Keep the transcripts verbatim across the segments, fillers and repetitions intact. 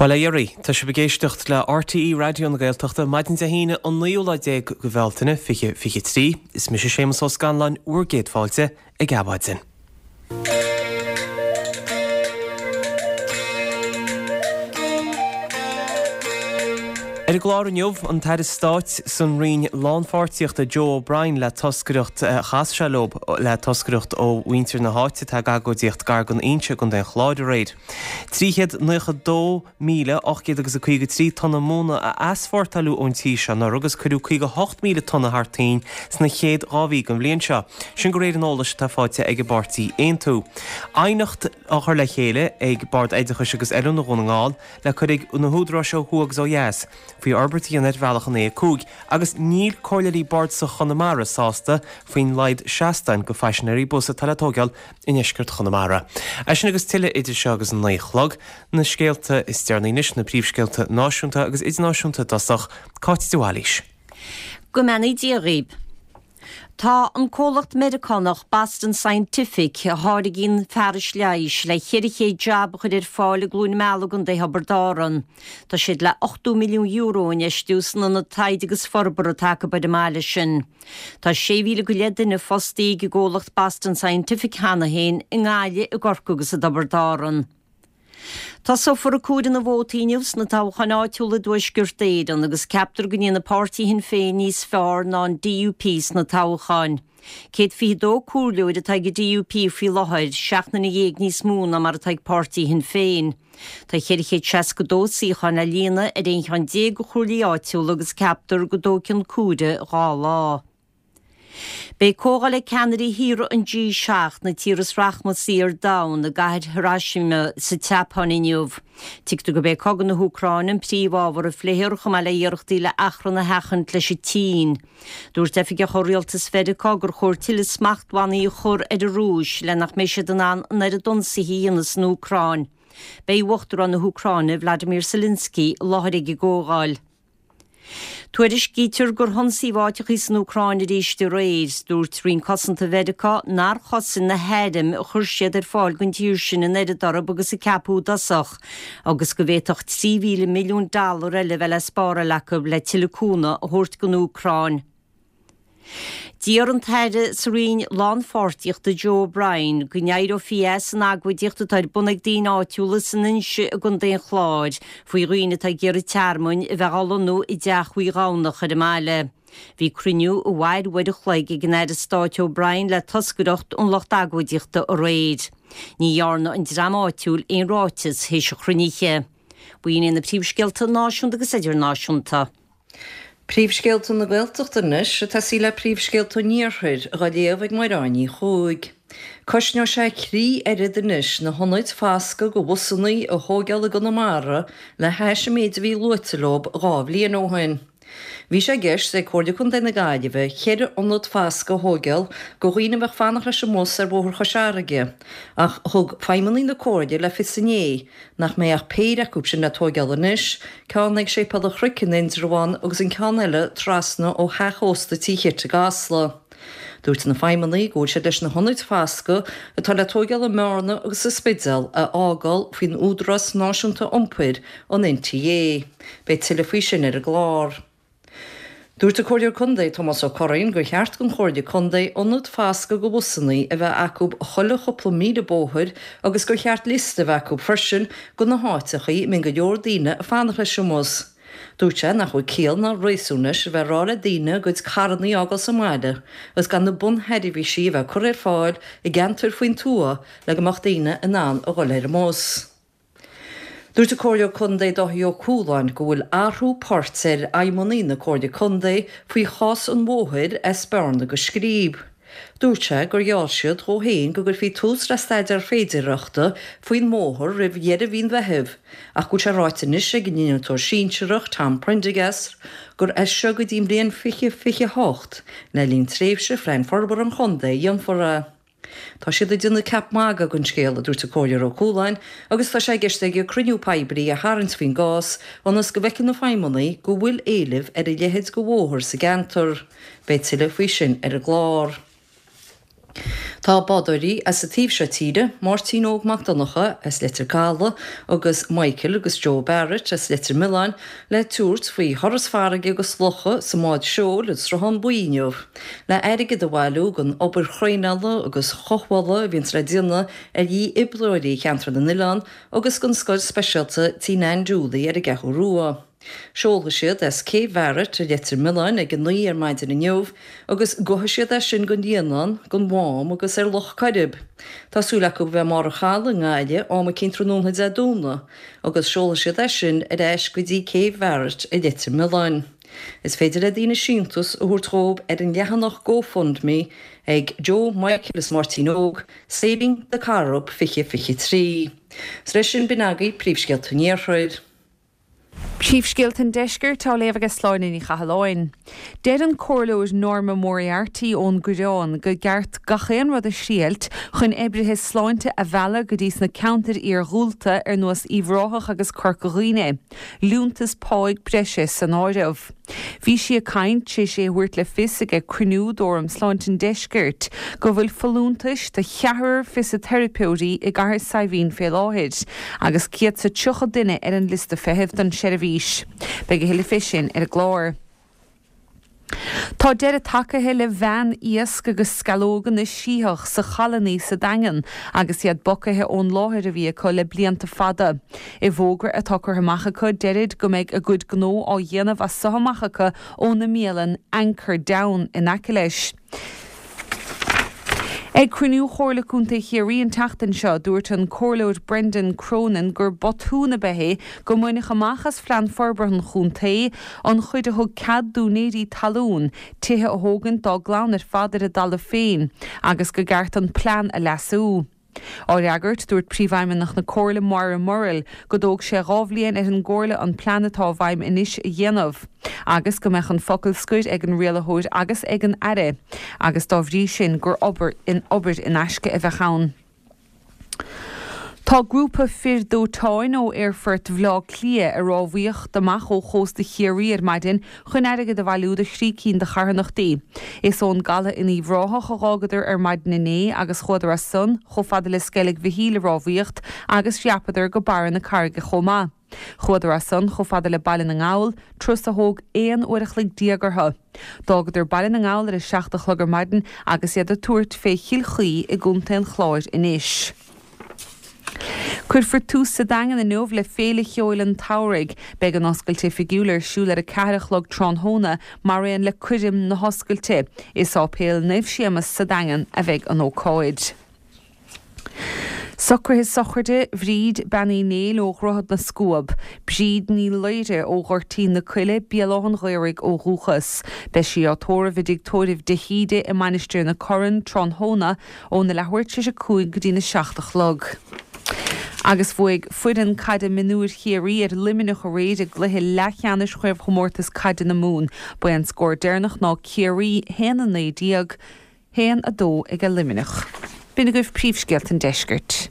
Bail ó Dhia oraibh, tá sibh ag éisteacht le RTÉ Raidió na Gaeltachta maidin Dé hAoine an naoú lá déag de Bhealtaine fiche fiche trí. Is mise Séamus Ó Scanláin bhur gcéad fáilte ag Adhmhaidin. Ar an gclár inniu, an tAire Stáit san Roinn Lánpháirtíochta Joe O'Brien le toscaireacht chas sé leo le toscaireacht ó mhuintir na háite atá ag agóidíocht gar don Inse i gContae an Chláir aréir. Trí chéad naocha dó míle ocht gcéad agus a caoga trí tonna móna a easpórtáladh ón tír seo anuraidh agus cuireadh caoga hocht míle tonna thar toinn sna chéad dhá mhí den bhliain seo. Sin de réir an eolais atá faighte ag an bpáirtí Aontú. Aighneacht á chur le chéile ag Bord Oideachais agus Oiliúna Dhún na nGall le cur ag na húdaráis ó thuaidh agus ó dheas faoi fhorbairt a dhéanamh ar bhealach an A a cúig agus níl Comhairleoirí Bardasach Chonamara sásta faoin laghad seastáin go phaisinéirí bus atá le tógáil i ndeisceart Chonamara. É sin agus tuilleadh idir seo agus an naoi a chlog. Na scéalta is deireanaí anois, na príomhscéalta náisiúnta agus idirnáisiúnta i dtosach, Cáit de Bhailís. Go mbeannaí Dia dhaoib. Tá an comhlacht Meiriceánach Boston Scientific, a tháirgíonn fearais leighis, le ceithre chéad jab a chur ar fáil i gCluain Meala i gContae Thiobraid Árann. Tá siad le ochtó milliún euro a infheistiú san ionad taighde agus forbartha atá acu ar an mbaile sin. Tá sé mhíle go leith duine fostaithe ag an gcomhlacht Boston Scientific cheana féin i nGaillimh, i gCorcaigh agus i dTiobraid Árann. Tosófar ag comhaireamh na vótaí inniu sna toghcháin áitiúla i dTuaisceart Éireann agus ceaptar go ndéanfaidh páirtí Shinn Féin níos fearr ná an DUP sna toghcháin. Céad fiche dó comhairleoir atá ag an DUP faoi láthair, seacht nduine dhéag níos mó ná mar atá ag páirtí Shinn Féin. Tá ceithre chéad seasca dó suíochán le líonadh ar aon cheann déag de chomhairlí áitiúla agus ceaptar go dtógfaidh an comhaireamh dhá lá. Beidh comhdháil ag ceannairí thíortha an G seacht, na tíortha is rachmasaí ar domhan, i gcathair Hiroshima sa tSeapáin inniu. Tuigtear gurb é cogadh na hÚcráine an príomhábhar a phléifear chomh maith le hiarrachtaí le achrann a sheachaint leis an tSín. Dúirt oifigeach ó rialtas Mheiriceá gur chóir tuilleadh smachtbhannaí a chur ar an Rúis le nach mbeidh siad in ann an oiread ionsaithe a dhéanamh san Úcráin. Beidh Uachtarán na hÚcráine, Vladimir Zelensky, i láthair ag an gcomhdháil. Tuairiscítear gur hionsaíodh áiteachaí san Úcráin arís aréir. Dúirt Roinn Cosanta Mheiriceá nár chosain na hairm a chuir siad ar fáil don tír sin an oiread orthu agus a ceapadh i dtosach, agus go bhféadfadh trí mhíle milliún dollar eile a bheith le spáráil acu le tuilleadh cúnamh a thabhairt don Úcráin. D'iarr an tAire sa Roinn Lánpháirtíochta Joe O'Brien go n-éireofaí as an agóidíocht atá ar bun ag daoine áitiúla san Inse i gContae an Chláir faoi dhaoine atá ag iarraidh tearmainn a bheith á lonnú i dteach Uí Dhomhnach ar an mbaile. Bhí cruinniú a mhair uair a chloig ag an Aire Stáit O'Brien le toscaireacht ón lucht agóidíochta aréir. Ní dhearna an dream áitiúil aon ráiteas théis an chruinnithe. B'in iad na príomhscéalta náisiúnta agus idirnáisiúnta. Príomhscéalta na Gaeltachta anois, ag tosaí le príomhscéalta an Iarthair, dhá léamh ag Máire Ní Chuaig. Cosnóidh sé trí oiread anois na hionaid foscaidh do bhusannaí a thóigeáil i gConamara le hais an méid a bhí luaite leo dhá bhliain ó shin. Bhí sé i gceist ag Comhairle Contae na Gaillimhe ceithre ionad foscaidh a thóigeáil do dhaoine a bheadh fanacht leis an mbus ar Bhóthar Chois Fharraige ach thug feidhmeannaigh na Comhairle le fios inné nach mbeidh ach péire acu sin le tóigeáil anois, ceann ag Séipéal an Chnoic in Indreabhán agus an ceann eile trasna ó theach ósta Tí Chit i gCasla. Dúirt na feidhmeannaigh go bhfuil siad leis na hionaid foscaidh atá le tóigeáil i mBearna agus sa Spidéal a fhágáil faoin Údarás Náisiúnta Iompair, an NTA. Beidh tuilleadh faoi sin ar an gclár. Dúirt an Comhairleoir Contae Tomás Ó Curraoin gur cheart don Chomhairle Contae ionad foscaidh do bhusannaí a bheith acu chuile chúpla míle bóthair agus gur cheart liosta a bheith acu freisin de na háiteachaí a mbíonn go leor daoine ag fanacht leis an mbus. Dúirt sé nach bhfuil ciall ná réasún leis a bheith ag rá le daoine a gcuid carrannaí a fhágáil sa mbaile agus gan na bunsheirbhísí a bheith curtha ar fáil i gceantair faoin tuath le go mbeadh daoine in ann a dhul ar an mbus. Dúirt an Comhairleoir Contae Dáithí Ó Cualáin go bhfuil athrú poirt ar fheidhmeannaigh na Comhairle Contae faoi chás an bhóthair as Bearna go Scríb. Dúirt sé gur gheall siad dhó féin go gcuirfí tús le staidéar féidearthachta faoin mbóthar roimh dheireadh mhí an Mheithimh ach go bhfuil sé ráite anois ag an innealtóir sinsearach Tom Prendergast gur as seo go dtí an bhliain fiche fiche a hocht, le linn tréimhse Phlean Forbartha an Chontae, a dhéanfar é. Tá siad ag déanamh ceap magaidh den scéal, a dúirt an Comhairleoir Ó Cualáin, agus tá sé i gceist aige cruinniú poiblí a tharraingt faoin gcás ionas go bhfeicfidh na feidhmeannaigh go bhfuil éileamh ar a leithéid de bhóthar sa gceantar. Beidh tuilleadh faoi sin ar an gclár. Tá bádóirí as an taobh seo tíre, Máirtín Óg Mac Donncha as Leitir Caladh agus Michael agus Joe Barrett as Leitir Mealláin le tabhairt faoi thuras farraige agus locha sa mbád seoil an Sruthán Buí inniu, le airgead a bhailiú don obair thraenála agus chothabhála a bhíonns le déanamh ar dhífhibrileoirí Cheantar na nOileán agus don scoil speisialta Tí Nan Dooley ar an gCeathrú Rua. Seolfaidh siad as Cé Bharrett i Leitir Mealláin ag a naoi ar maidin inniu agus gabhfaidh siad as sin don Líonán, don Mhám agus ar Loch Coirib. Tá súil acu a bheith i mbarr an chalaidh i nGaillimh am eicínt tráthnóna Dé Domhnaigh agus seolfaidh siad as sin ar ais go dtí Cé Bharrett i Leitir Mealláin. Is féidir le daoine síntiús a thabhairt dhóibh ar an leathanach GoFundMe ag Joe, Michael is Máirtín Óg, Saving the Corrib fiche fiche trí. 'S leis sin b'in agaibh príomhscéalta an Iarthair. Príomhscéalta an Deiscirt á léamh ag Sláine Ní Chathalláin. Deir an Comhairleoir Norma Moriarty ón gCoireán gur ceart gach aon rud a thriailt chun oibrithe sláinte a mhealladh go dtí sna ceantair iargúlta ar nós Uíbh Ráthach agus Corca Dhuibhne, liúntas páigh breise san áireamh. Bhí sí ag caint tar éis é a thabhairt le fios ag cruinniú d'Fhóram Sláinte an Deiscirt go bhfuil folúntais do cheathrar fisiteiripeoirí i gCathair Saidhbhín fé láthair agus céad 's a tríocha duine ar an liosta feithimh don tseirbhís. Beidh a thuilleadh fé sin ar an gclár. Tá deireadh tagaithe le veain iasc agus sceallóga na Sítheach sa Challannaí sa Daingean agus iad bogtha ón láthair a bhí acu le blianta fada. I bhfógra atá curtha amach acu deirid go mbeidh a gcuid gnó á dhéanamh as so amach acu óna mbialann Anchor Down in aice leis. Ag cruinniú Chomhairle Contae Chiarraí an tseachtain seo, dúirt an Comhairleoir Brendan Cronin gur botún ab ea é go mbaineadh amach as Phlean Forbartha an Chontae an chuid a thug cead d'úinéirí talún tithe a thógaint dá gclann ar fad ar a dtalamh féin agus gur cheart an plean a leasú. Á fhreagairt, dúirt Príomhfheidhmeannach na Comhairle Moira Murrell go dtóg sé dhá bhliain ar an gComhairle an plean atá i bhfeidhm anois a dhéanamh, agus go mbeadh an focal scoir ag an rialaitheoir agus ag an Aire, agus dá bhrí sin gur obair in obair in aisce a bheadh ann. Tá grúpa fir dóiteáin ó Aerfort Bhaile Átha Cliath ag rámhaíocht amach ó chósta Chiarraí ar maidin chun airgead a bhailiú do thrí cinn de charthanachtaí. Is ón gcaladh in Uíbh Ráthach a dh'fhágadar ar maidin inné agus chuadar as san chomh fada le Sceilg Mhichíl ag rámhaíocht agus dhreapadar go Barra na Carraige chomh maith. Chuadar as san chomh fada le Baile na nGall, turas a thóg aon uair a chloig déag orthu. D'fhágadar Baile na nGall ar a seacht a chlog ar maidin agus iad ag tabhairt fé Chill Chaoi i gContae an Chláir anois. Cuirfear tús sa Daingean inniu le Féile Cheoil an tSamhraidh. Beidh an oscailt oifigiúil ar siúl ar a ceathair a chlog tráthnóna mar aon le coirm na hoscailte. I Sáipéal Naomh Séamas sa Daingean a bheidh an ócáid. Socruithe sochraide Bhríd Bean Uí Néill ó Dhroichead na Scuab, Bríd Ní Laoire ó Ghoirtín na Coille, Béal Átha an Ghaorthaidh ó dhúchas. Beidh sí á tórramh i dtigh tórraimh de hÍde i Mainistir na Corann tráthnóna óna leathuair tar éis a cúig go dtína seacht a chlog. Agus bhuaigh foireann caide mionúir Chiarraí ar Luimneach aréir i gcluiche leathcheannais chraobhchomórtas caide na Mumhan. Ba é an scór deireanach ná Ciarraí haon a naoi déag, haon a dó ag Luimneach. B'in agaibh príomhscéalta an deiscirt.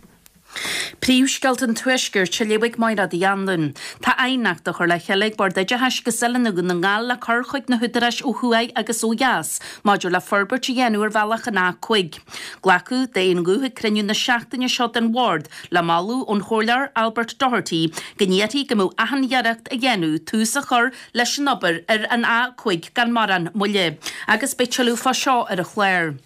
Príomhscéalta an Tuaiscirt á léamh ag Máire Uí Anluain. Tá aighneacht á chur le chéile ag Bord Oideachais agus Oiliúna Dhún na nGall le cur chuig na húdaráis ó thuaidh agus ó dheas maidir le forbairt a dhéanamh ar bhealach an A cúig. Glacadh d'aon ghuth ag cruinniú na seachtaine seo den bhord le moladh ón Chomhairleoir Albert Doherty go n-iarrfaí go mbeadh achan iarracht á dhéanamh tús a chur leis an obair ar an A cúig gan mórán moille. Agus beidh tuilleadh fá seo ar an chlár.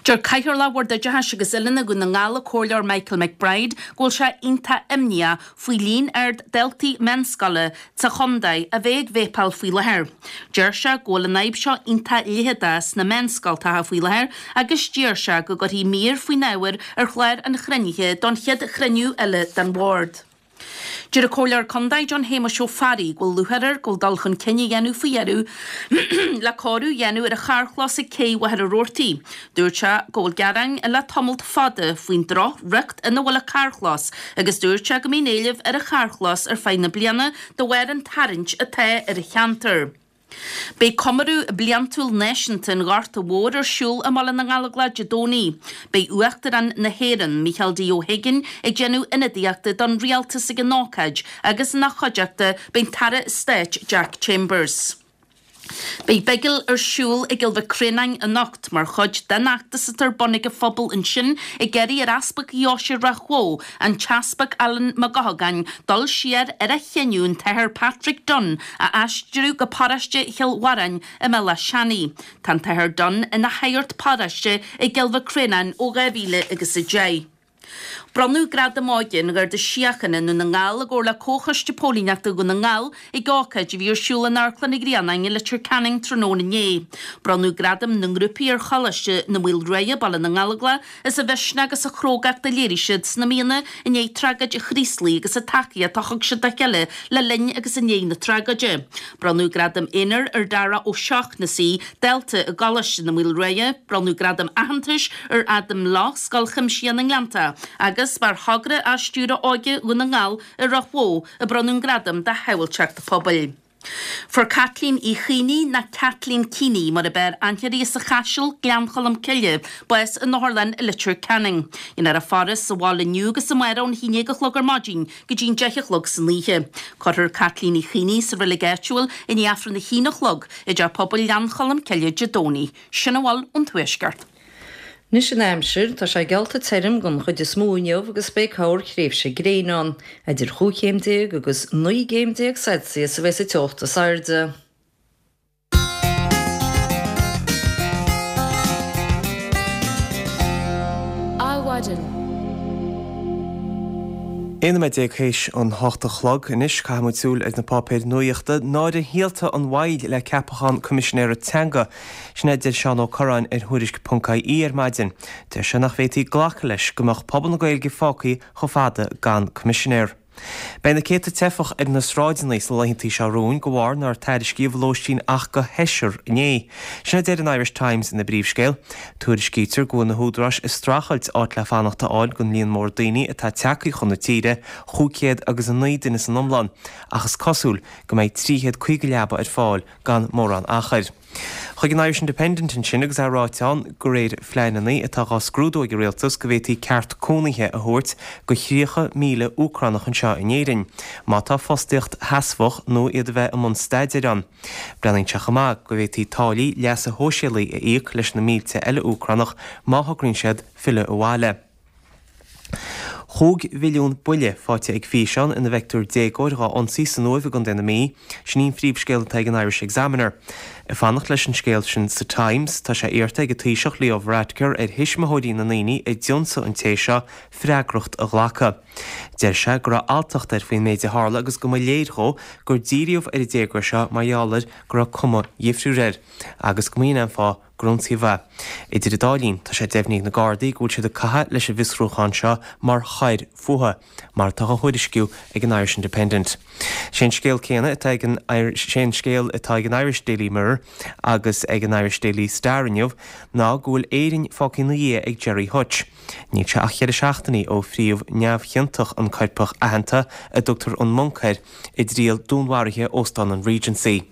Deir Cathaoirleach Bhord Oideachais agus Oiliúna Dhún na nGall, an Comhairleoir Michael McBride, go bhfuil sé iontach imníoch faoi líon ard daltaí meánscoile sa chontae a bheith ag véipeáil faoi láthair. Deir sé go bhfuil an fhadhb seo iontach leitheadach sna meánscoltacha faoi láthair agus d'iarr sé go gcuirfí mír faoin ábhar ar chlár an chruinnithe don chéad chruinniú eile den bhord. Deir an Comhairleoir Contae John Shéamuis Ó Fearraigh go bhfuil lúcháir air go bhfuil dul chun cinn á dhéanamh faoi dheireadh le cóiriú a dhéanamh ar an charrchlós ag Cé Mhachaire Rabhartaigh. Dúirt sé go bhfuil gearáin le tamalt fada faoin droch-riocht ina bhfuil an carrchlós agus dúirt sé go mbíonn éileamh ar an charrchlós ar feadh na bliana de bharr an tarraingt atá ar an cheantar. Beidh comóradh bliantúil náisiúnta an Ghorta Mhóir ar siúl i mBaile na nGallóglach Dé Domhnaigh. Beidh Uachtarán na hÉireann, Micheál D. Ó hUiginn, ag déanamh ionadaíochta don rialtas ag an ócáid agus ina chuideachta beidh an tAire Stáit Jack Chambers. Beidh bigil ar siúl i gCill Mhic Réanáin anocht mar chuid den fheachtas atá ar bun ag an phobal ansin ag iarraidh ar Easpag Dheoise Ráth Bhoth, an tEaspag Alan Mac Eochagáin, dul siar ar a chinneadh an tAthair Patrick Dunne a aistriú go paróiste Chill Mharáin i mBéal Átha Seanaidh. Tá an tAthair Dunne ina shagart paróiste i gCill Mhic Réanáin ó dhá mhíle agus a deich. Bronnadh Gradam Óige an Gharda Síochána i nDún na nGall i gcomhar le Comhchoiste Póilíneachta Dhún na nGall ag ócáid a bhí ar siúl in Amharclann an Ghrianáin i Leitir Ceanainn tráthnóna inné. Bronnadh Gradaim na ngrúpaí ar Choláiste na Maoilriaidhe, Baile na nGallóglach, as a mhisneach agus a chrógacht a léirigh siad sna míonna i ndiaidh tragóid an Chraoslaigh agus an tacaíocht a thug siad dá chéile le linn agus i ndiaidh na tragóide. Bronnadh Gradam Aonair ar Dara Ó Seachnasaigh, dalta i gColáiste na Maoilriaidhe. Bronnadh Gradam Aitheantais ar Adam Lough, Scoil Chuimsitheach na nGleannta, agus b'ar thogra á stiúradh Óige Dhún na nGall i Ráth Bhoth a bronnadh an gradam do shábháilteacht pobail. Fuair Caitlín Uí Chaonaigh, nó Kathleen Keeney mar a b'fhearr aithne uirthi as an Chaiseal, Gleann Cholm Cille, bás in otharlann i Leitir Ceanainn. Déanfar a faire sa bhaile inniu agus amárach ón haon déag a chlog ar maidin go dtí an deich a chlog san oíche. Cuirfear Caitlín Uí Chaonaigh sa reilig áitiúil i ndiaidh Aifreann a haon a chlog i dTeach Pobail Ghleann Cholm Cille Dé Domhnaigh. Sin a bhfuil ón Tuaisceart. Anois an aimsir, tá sé geallta tirim don chuid is mó inniu agus beidh corrthréimhse gréine ann. Idir chúig chéim déag agus naoi gcéim déag Celsius a bheidh sa teocht is airde. Adhmhaidin. Aon nóiméad déag théis an hocht a chlog anois, caithfidh muid súil ar na páipéir nuachta. Náire shaolta an mhoill le ceapachán Coimisinéara Teanga. Sin é a deir Seán Ó Curráin ar Thuairisc ponc IE ar maidin. Deir sé nach bhféadfaí glacadh leis go mbeadh pobal na Gaeilge fágtha chomh fada gan Coimisinéir. Beidh na céadta teifeach ar na sráideanna sna laethanta seo romhainn de bharr nár tairiscíodh lóistín ach do sheisear inné. Sin a deir an Irish Times ina bpríomhscéal. Tuairiscítear go bhfuil na húdaráis ag streachailt áit le fanacht a fháil don líon mór daoine atá tagtha chun na tíre, chúig chéad agus a naoi duine san iomlán, ach is cosúil go mbeidh trí chéad caoga leaba ar fáil gan mórán achair. Chuig an Irish Independent ansin agus é ráite ann de réir phleananna atá dhá scrúdú ag an rialtas go bhféadfaí ceart cónaithe a thabhairt do thríocha míle Úcránach anseo in Éirinn má tá fostaíocht sheasmhach nó iad a bheith i mbun staidéir ann. Breathnaíonn sé chomh maith go bhféadfaí táillí leasa shóisialaigh a íoc leis na mílte eile Úcránach má thograíonn siad filleadh abhaile. Chúig mhilliún buille faighte ag físeán ina bhfeictear déagóir dhá ionsaí san Uaimh i gContae na Mí. Sin í an phríomhscéal atá ag an Irish Examiner. Ag fanacht leis an scéal sin sa Times, tá sé iarrta ag an Taoiseach Leo Varadkar ar thuismitheoirí na ndaoine a d'ionsaigh an té seo freagracht a ghlacadh. Deir sé go raibh alltacht air faoin méid a tharla agus go mba léir dhó gur díríodh ar an déagóir seo mar gheall ar go raibh cuma dhifriúil air agus go mb'in an fáth gur ionsaíodh é. Idir an dá linn, tá sé deimhnithe ag na Gardaí go bhfuil siad ag caitheamh leis an bhfiosrúchán seo mar choir fuatha, mar atá á thuairisciú ag an Irish Independent. Sé an scéal céanna atá ag an Sé an scéal atá ag an Irish Daily Mirror agus ag an Irish Daily Star inniu ná go bhfuil Éirinn fágtha ina dhiaidh ag Gerry Hutch. Níl sé ach ceithre seachtainí ó phríomh neamhchiontach an coirpeach aitheanta a dtugtar an Monk air i dtriail dúnmharaithe Óstán an Regency.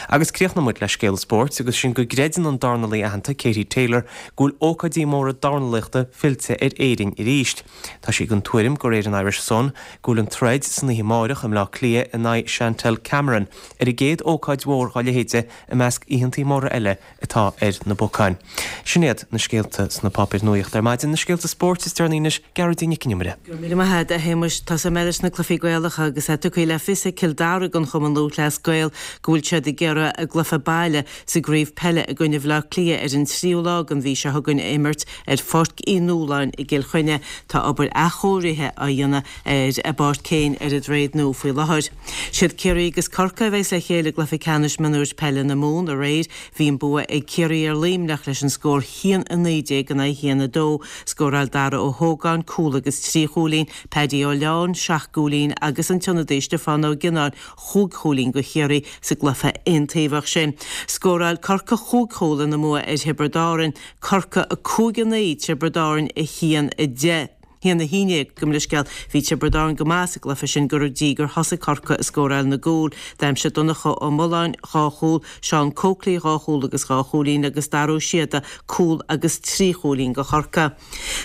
Agus críochnóidh muid le scéal spóirt agus sin go gcreideann an dornálaí aitheanta Katie Taylor go bhfuil ócáidí móra dornálaíochta fillte ar Éirinn arís. Tá sí den tuairim de réir an Irish Sun go bhfuil an troid san oíche amárach i mBleá Cliath in aghaidh Chantelle Cameron ar an gcéad ócáid mhór dá leithéide i measc oícheantaí móra eile atá ar na bacáin. Sin iad na scéalta sna páipéir nuachta ar maidin, na scéalta spóirt is deireanaí anois, Gearóidín Nic an Iomaire. Go raibh míle maith agat, a Shéamuis. Tosóidh mé leis na cluichí Gaelacha agus é tugtha le fios ag Cill Dara don Chumann Lúthchleas Gael go bhfuil siad ag iarraidh a gcluiche baile sa gcraobh peile i gcoinne Bhaile Átha Cliath ar an tríú lá den mhí seo chugainn a imirt ar Pháirc Uí Nualláin i gCill Chainnigh. Tá obair athchóirithe á dhéanamh ar an bpáirc féin ar an Droichead Nua faoi láthair. Siad Ciarraí agus Corcaigh a bheas le chéile i gcluiche ceannais mionúir peile na Mumhan aréir. Bhí an bua ag Ciarraí ar Luimneach leis an scór a haon a naoi déag in aghaidh a haon a dó. Scóráil Dara Ó hÓgáin cúl agus trí chúilín, Paddy Ó Leáin seacht gcúilín agus an t-ionadaí Stiofán Ó Gionnáin chúig chúilín do Chiarraí sa gcluiche aontaobhach sin. Scóráil Corcaigh chúig chúl ina mbua ar Thiobraid Árann, Corcaigh a cúig a naoi, Tiobraid Árann a haon a deich. haon a haon déag, gabh mo leithscéal. Bhí Tiobraid Árann go maith sa gcluiche sin go dtí gur thosaigh Corcaigh ag scóráil na gcúl. D'aimsigh Donncha Ó Mulláin dhá chúl, Seán Coakley dhá chúl agus dhá chúilín agus Dara Ó Síoda cúl agus trí chúilín do Chorcaigh.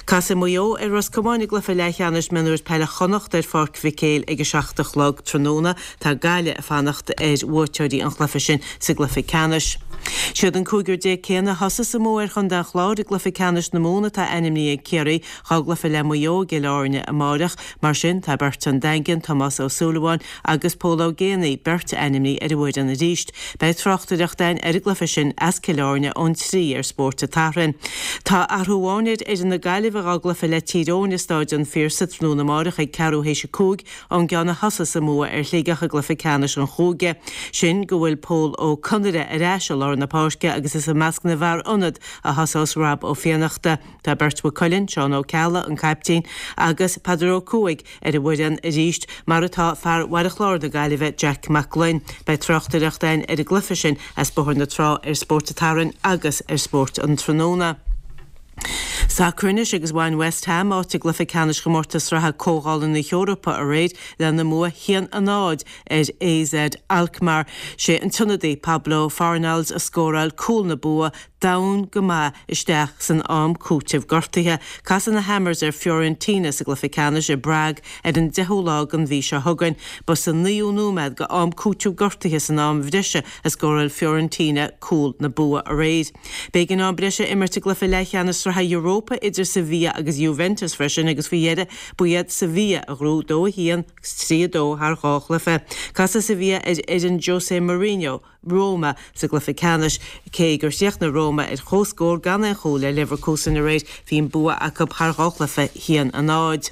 Casfaidh Maigh Eo ar Ros Comáin i gcluiche leathcheannais mionúir peile Chonnacht ar Pháirc Mhic Éil ag a seacht a chlog tráthnóna. Tá Gaillimh ag fanacht ar bhuaiteoirí an chluiche sin sa gcluiche ceannais. Siad an cúigear déag céanna a thosas i mbua ar Chontae an Chláir i gcluiche ceannais na Mumhan atá ainmnithe ag Ciarraí dhá gcluiche le Maigh Eo i gCill Airne amáireach. Mar sin, tá beirt ón Daingean, Tomás Ó Súilleabháin agus Pól Ó Géibheannaigh, beirt ainmnithe ar an bhfoireann arís. Beidh tráchtaireacht againn ar an gcluiche sin as Cill Airne ón trí ar Spórt an tSathairn. Tá athrú amháin ar fhoireann na Gaillimhe dhá gcluiche le Tír Eoghain i Stáid an Phiarsaigh tráthnóna amáireach ag ceathrú théis a cúig ón gceann a thosas i mbua ar Shligeach i gcluiche ceannais an chúige. Sin go bhfuil Pól Ó Conaire ar ais i lár na páirce agus is i measc na bhfear ionad a thosós Rob Ó Fiannachta. Tá beirt Mhaigh Cuilinn, Seán Ó Ceallaigh, an caiptín, agus Peadar Ó Cuaig ar an bhfoireann arís, mar atá fear Bhaile Chláir na Gaillimhe, Jack Mac Gloinn. Beidh tráchtaireacht againn ar an gcluiche sin as Bóthar na Trá ar Spórt an tSathairn agus ar Spórt an Tráthnóna. Sacar anois agus bhain West Ham áit i gcluiche ceannais chomórtas sraithe Comhdhála na hEorpa aréir lena mbua a haon a náid ar AZ Alkmaar. Sé an t-ionadaí Pablo Fornals a scóráil cúl na bua domhain go maith isteach san am cúitimh gortaithe. Casfaidh na Hammers ar Fiorentina sa gcluiche ceannais i bPrague ar an deichiú lá den mhí seo chugainn. Ba sa naoú nóiméad de am cúitimh gortaithe san am bhreise a scóráil Fiorentina cúl na bua aréir. B'éigean am breise a imirt i gcluiche leathcheannais Sraithe Europa idir Sevilla agus Juventus freisin agus faoi dheireadh ba iad Sevilla a ghnóthaigh dó a haon agus trí a dó thar dhá chluiche. Casfaidh Sevilla ar fhoireann Jose Mourinho, Roma, sa gcluiche ceannais. Cé gur chríochnaigh Roma ar comhscór gan aon chúl le Leverkusen aréir, bhí an bua acu thar dhá chluiche, a haon a náid.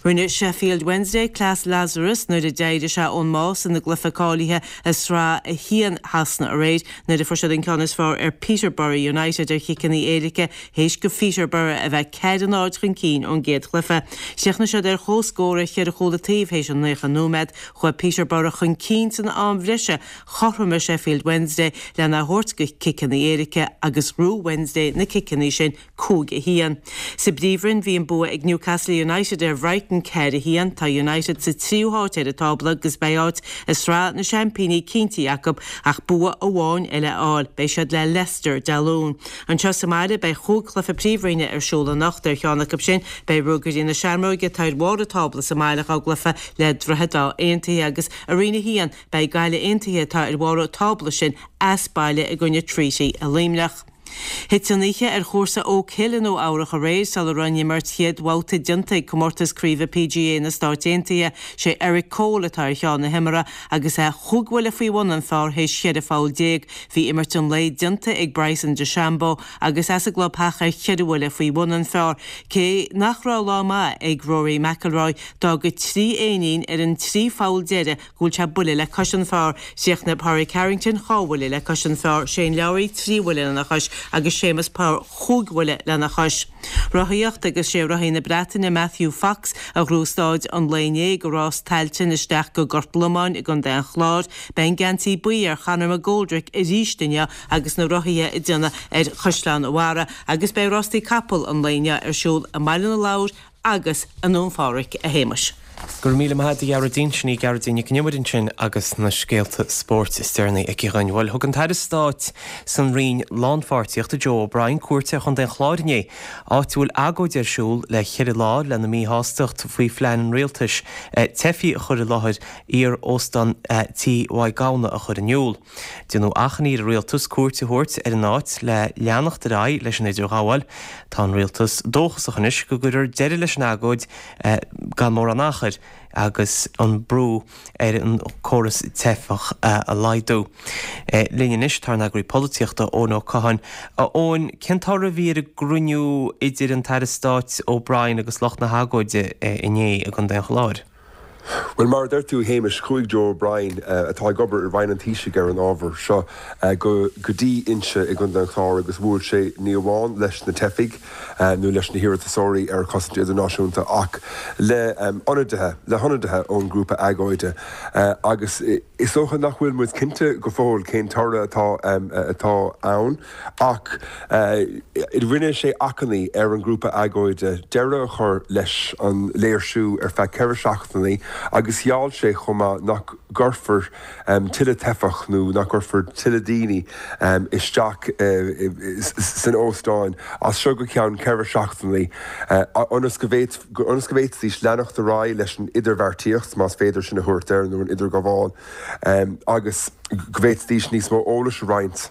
Rinne Sheffield Wednesday cleas Lazarus nuair a d'éirigh sé ón mbás ina gcluiche cáilithe i Sraith a haon Shasana aréir nuair a fuair siad an ceann is fearr ar Peterborough United ar chiceanna éirice théis do Pheterborough a bheith ceathair a náid chun cinn ón gcéad chluiche. Chríochnaigh siad ar comhscór ar cheithre chúl an taobh théis an naocha nóiméad. Chuaigh Peterborough chun cinn san am bhreise. Chothromaigh Sheffield Wednesday lena thabhairt go ciceanna éirice agus ghnóthaigh Wednesday na ciceanna sin, cúig a haon. Sa bPríomhroinn, bhí an bua ag Newcastle United ar Bhrighton, ceathair a haon. Tá United sa tríú háit ar an tábla agus beidh áit i Sraith na Seaimpíní cinntithe acu ach bua amháin eile a fháil. Beidh siad le Leicester Dé Luain. Anseo sa mbaile, beidh chúig chluiche Príomhroinne ar siúl anocht. Ar cheann acu sin, beidh Ruagairí na Seamróige, atá ar bharr an tábla sa mbaile, dhá gcluiche le Droichead Átha Aontaithe agus i Roinn a haon, Beidh Gaillimh Aontaithe, atá ar bharr an tábla sin, as baile i gcoinne Treaty i Luimneach. Thit an oíche ar chúrsa Oak Hill i Nua Eabhrach aréir sula raibh an imirt chéad bhabhta déanta ag comórtas craoibhe PGA na Stáit Aontaithe. Sé Eric Cole atá ar cheann na himeartha agus é chúig bhuille faoi bhun an phar théis cheithre pholl déag. Bhí imirt an lae déanta ag Bryson DeChambeau agus é sa gclubtheach ar cheithre bhuille faoi bhun an phar. Cé nach raibh lá maith ag Rory McIlroy, d'fhág trí éinín ar an trí pholl deiridh go bhfuil sé buille le cois an phar. Chríochnaigh Pádraig Harrington dhá bhuille le cois an phar, Shane Lowry trí bhuille lena chois agus Séamus Power chúig bhuille lena chois. Rothaíocht agus sé rothaí na Breataine Matthew Fox a ghnóthaigh staid an lae inné ag rás Tailteann isteach go Gort Lomáin i gContae an Chláir. Beidh an geansaí buí ar Chonor McGoldrick arís inniu agus na rothaithe ag déanamh ar Chaisleán an Bharraigh agus beidh rástaí capall an lae inniu ar siúl i mBaile na Lobhar agus i nDún Phádraig, a Shéamais. Go raibh míle maith agat a Ghearóidín, sin í Gearóidín Nic an Iomaire ansin agus na scéalta spóirt is deireanaí aici dhúinn. Bhuel, thug an tAire Stáit san Roinn Lánpháirtíochta Joe O'Brien cuairt ar Chontae an Chláir inné, áit a bhfuil agóid ar siúl le ceithre lá lena míshástacht faoi phlean an rialtais teifigh a chur i láthair iar-óstán Tí Mhaigh Gamhna a chur in iúl. Déanadh achainí ar an rialtas cuairt a thabhairt ar an áit le leanacht ar aghaidh leis an idirghabháil. Tá an rialtas dóchasach anois go gcuirfear deireadh leis an agóid gan mórán achair agus an brú ar an córas teifeach a laghdú. Linn anois tá ár n-eagraí polaitíochta, Eoin Ó Catháin. A Eoin, cén toradh a bhí ar an gcruinniú idir an tAire Stáit O'Brien agus lucht na hagóide inné i gContae an Chláir? Bhuel, mar a deir tú, a Shéamais, chuaigh Joe O'Brien, atá ag obair i Roinn an Taoisigh ar an ábhar seo, go dtí Inse i gContae an Chláir agus bhuail sé ní amháin leis na teifigh nó leis na hiarratasóirí ar chosaint idirnáisiúnta ach le ionadaithe, le hionadaithe ón ngrúpa agóide agus is dócha nach bhfuil muid cinnte go fóill cén toradh atá atá ann ach rinne sé achainí ar an ngrúpa agóide deireadh a chur leis an léirsiú ar feadh ceithre seachtainí agus gheall sé chomh maith nach gcuirfear tuilleadh teifeach nó nach gcuirfear tuilleadh daoine isteach san óstán as seo go ceann ceithre seachtainí ionas go ionas go bhféadfaidís leanacht ar aghaidh leis an idirbheartaíocht, más féidir sin a thabhairt air, nó an idirghabháil, agus go bhféadfaidís níos mó eolais a roinnt.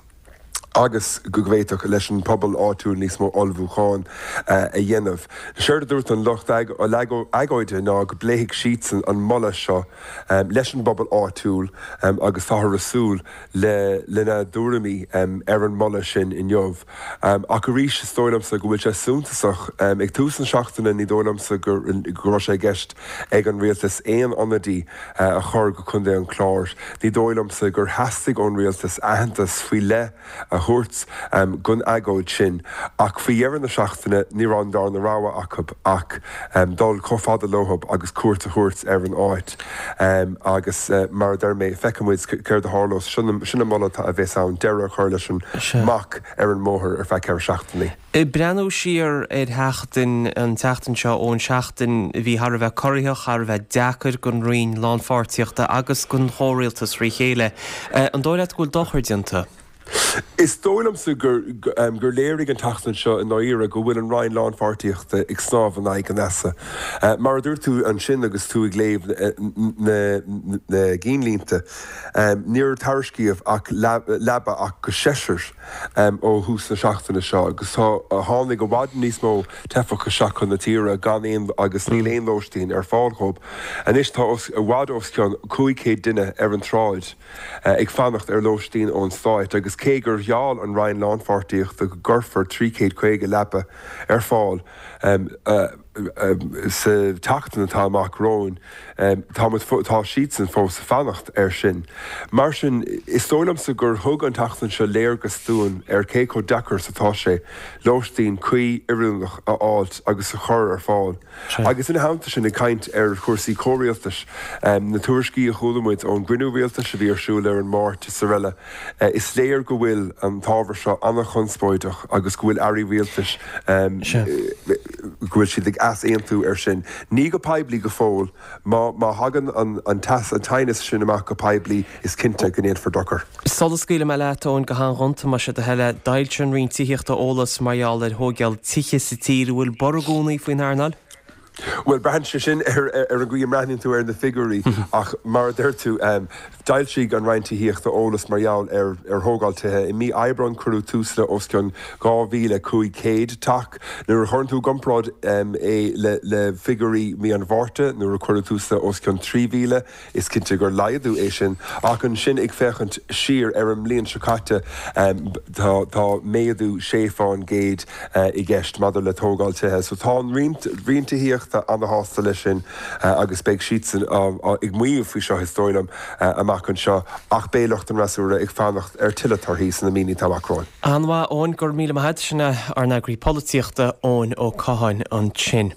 agus go bhféadfadh leis an pobal áitiúil níos mó ullmhúcháin a dhéanamh. Séard a dúirt an lucht agóide ná go bpléifidh siadsan an moladh seo leis an bpobal áitiúil agus táthar ag súil lena dtuairimí ar an moladh sin inniu. Ach arís, is dóigh liomsa go bhfuil sé suntasach. Ag tús na seachtaine ní dóigh liomsa go raibh sé i gceist ag an rialtas aon ionadaí a chur go Contae an Chláir. Ní dóigh liomsa gur theastaigh ón rialtas aitheantas faoi leith a thabhairt don agóid sin ach faoi dheireadh na seachtaine ní raibh an darna rogha acu ach dul chomh fada leo agus cuairt a thabhairt ar an áit agus mar a deir mé, feicfidh muid céard a tharlós. Sin an moladh a bheas ann, deireadh a chur leis an mbac ar an mbóthar ar feadh ceithre seachtainí. Ag breathnú siar ar sheachtain, an tseachtain seo, ón seachtain a bhí thar a bheith corraitheach, thar a bheith deacair don Roinn Lánpháirtíochta agus don chomhrialtas thrí chéile, an dóigh leat go bhfuil dochar déanta? Is dóigh liomsa gur gur léirigh an tseachtain seo i ndáiríre go bhfuil an Roinn Lánpháirtíochta ag snámh in aghaidh an easa. Mar a dúirt tú ansin agus tú ag léamh na na gcinnlínte, níor tairiscíodh ach leaba ach go seisear ó thús na seachtaine seo agus tá tháinig i bhfad níos mó teifeach isteach chun na tíre gan aon agus níl aon lóistín ar fáil dhóibh. Anois tá os i bhfad os cionn cúig chéad duine ar an tsráid. ag fanacht ar lóistín ón Stát agus cé gur gheall an Roinn Lánpháirtíochta go gcuirfear trí chéad caoga leaba ar fáil sa tseachtain atá amach romhainn, tá muid, tá siadsan fós ag fanacht air sin. Mar sin, is dóigh liomsa gur thug an tseachtain seo léargas dúinn ar cé chomh deacair is atá sé lóistín cuí oiriúnach a fháilt agus a chur ar fáil. Agus ina theannta sin, ag caint ar chúrsaí comhrialtais, na tuairiscí a chuala muid ón gcruinniú rialtais a bhí ar siúl ar an Máirt is araile, is léir go bhfuil an t-ábhar seo an-chonspóideach agus go bhfuil airí rialtais, go bhfuil siad ag easaontú air sin. Ní go poiblí go fóill. Má má thagann an an t-aighneas sin amach go poiblí, is cinnte go ndéanfar dochar. Sula scaoilfidh mé leat, Eoin, go han-ghonta, más é do thoil é, d'fhoilsigh an Roinn Tithíochta eolas mar gheall ar thóigeáil tithe sa tír. An bhfuil borradh i gcónaí faoin earnáil? Bhuel, braitheann sé sin ar an gcaoi a mbreathnaíonn tú ar na figiúirí ach mar a deir tú, d'fhoilsigh an Roinn Tithíochta eolas mar gheall ar thógáil tithe. I mí Aibreáin cuireadh tús le os cionn dhá mhíle cúig chéad teach. Nuair a chuireann tú i gcomparáid é le figiúirí mí an Mhárta nuair a cuireadh tús le os cionn trí mhíle, Is cinnte gur laghdú é sin, ach ansin ag féachaint siar ar an mbliain seo caite, tá tá méadú sé fán gcéad i gceist maidir le tógáil tithe. So tá an Roinn Tithíochta ana-shásta leis sin agus beidh siadsan ag maíomh faoi seo, is dóigh liom, amach anseo, ach beidh lucht an fhreasúra ag fanacht ar tuilleadh torthaí sna míonna atá amach romhainn. An-mhaith, Eoin, go raibh míle maith agat. Sin é ár n-eagraí polaitíochta, Eoin Ó Catháin ansin.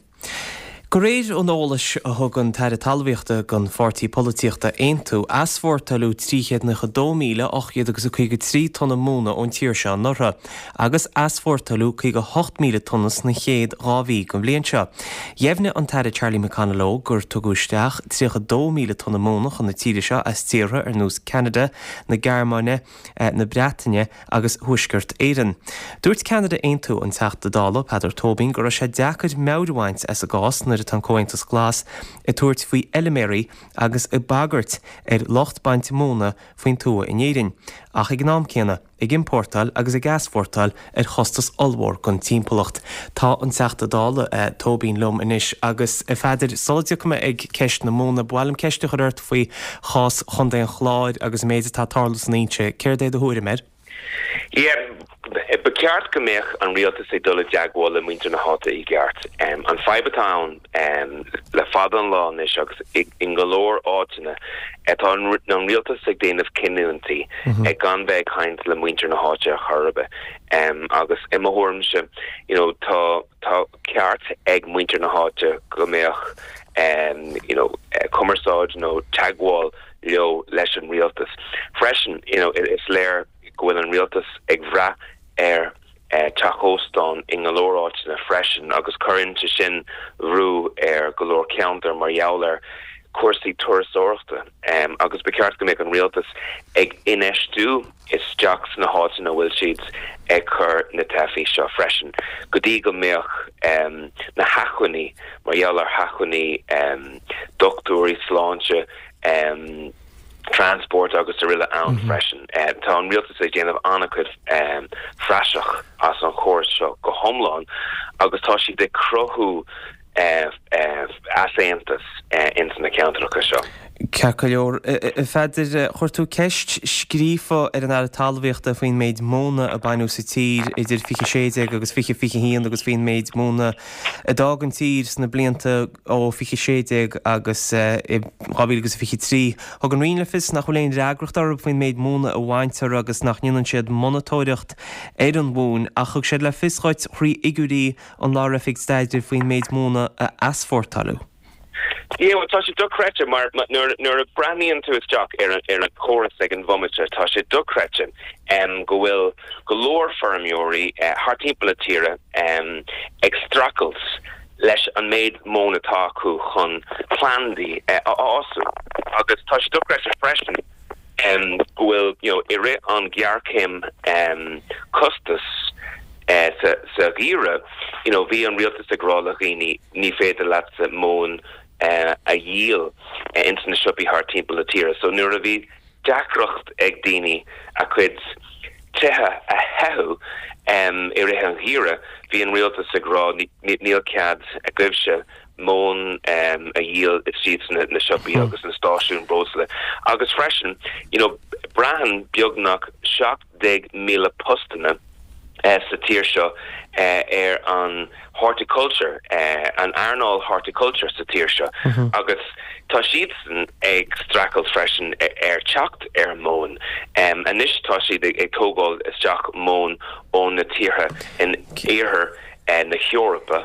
De réir an eolais a thug an tAire Talmhaíochta don pháirtí polaitíochta Aontú, easpórtáileadh trí chéad nócha dó míle ocht gcéad agus a caoga trí tonna móna ón tír seo anuraidh, agus easpórtáileadh caoga hocht míle tonna sna chéad dhá mhí den bhliain seo. Dheimhnigh an tAire Charlie McConalogue gur tugadh isteach tríocha dó míle tonna móna chun na tíre seo as tíortha ar nós Ceanada, na Gearmáine, na Breataine agus Thuaisceart Éireann. Dúirt ceannaire Aontú, an Teachta Dála Peadar Tóibín, go raibh sé deacair meabhair a bhaint as an gcás nuair atá an Comhaontas Glas ag tabhairt faoi fheilméaraí agus ag bagairt ar lucht bainte móna faoin tuath in Éirinn, ach ag an am céanna ag iompórtáil agus ag easpórtáil ar chostas ollmhór don timpeallacht. Tá an Teachta Dála Tóibín liom anois agus, a Pheadair, sula dtiocfaidh mé ag ceist na móna, ba mhaith liom ceist a chur ort faoi chás Chontae an Chláir agus an méid atá ag tarlú san Inse. Céard é do thuairim air? Yeah, ba cheart go mbeadh an rialtas ag dul i dteagmháil le muintir na háite i gceart. Um, an fadhb atá ann um, le fada an lá anois agus i, in go leor áiteanna tá an, an rialtas ag déanamh cinniúintí mm -hmm. ag gan bheith ag caint le muintir na háite ar chor ar bith. Um, agus i mo thuairimse you know, tá tá ceart ag muintir na háite go mbeadh um, you know, uh, cumarsáid nó teagmháil leo leis an rialtas. Freisin you know, is léir go bhfuil an rialtas ag brath ar uh, teach óstán in go leor áiteanna freisin agus cuireann sé sin brú ar go leor ceantar mar gheall ar cúrsaí turasóireachta um, agus ba cheart go mbeadh an rialtas ag infheistiú isteach sna háiteanna bhfuil siad ag cur na teifigh seo freisin go dtí go mbeadh um, na hacmhainní mar gheall ar hacmhainní um, dochtúirí sláinte um, transport agus araile ann mm -hmm. freisin. Uh, tá an rialtas ag déanamh an-chuid um, praiseach as an chóras seo go hiomlán agus tá siad ag cruthú uh, uh, easaontas uh, ins na ceantracha seo. Ceart go leor Pheadair chuir tú ceist scríofa ar an Aire Talmhaíochta faoin méid móna a baineadh sa tír idir fiche sé déag agus fiche fiche haon agus faoin méid móna a d'fhág an tír sna blianta ó fiche sé déag agus dhá mhíle agus fiche trí. Thug an Roinn le fios nach bhfuil aon fhreagracht orthu faoin méid móna a bhaintear agus nach ndéanann siad monatóireacht ar an mhóin ach thug siad le fios dhuit thrí fhigiúirí an Lár-Oifig Staidrimh faoin méid móna a easpórtáladh. Yeah, well, tá sé dochreidte mar nuair nuair a breathnaíonn tú isteach ar an ar an chóras ag an bhomaite tá sé dochreidte um, go bhfuil go leor feirmeoirí uh, thart timpeall na tíre um, ag streachailt leis an méid móna atá acu chun plandaí uh, a fhású agus tá sé dochreidte freisin um, go bhfuil you know, i rith an ghéarchéim um, costas uh, sa, sa gheimhreadh you know, bhí an rialtas ag rá le daoine ní féidir leat móin uh, a dhíol uh, ins na siopaí thart timpeall na tíre. So nuair a bhí deacracht ag daoine a cuid tithe a théamh um, i rith an gheimhridh, bhí an rialtas ag rá níl cead agaibhse móin um, a dhíol istigh na, na siopaí hmm. agus na stáisiúin breosla. Agus freisin, you know, braitheann beagnach seacht déag míle postanna uh, sa tír seo uh, ar an horticulture uh, an earnáil horticulture sa tír seo mm -hmm. agus tá siadsan ag streachailt freisin ar teacht ar móin um, anois tá siad ag, ag tógáil isteach móin ó na tíortha in iarthar uh, na hEorpa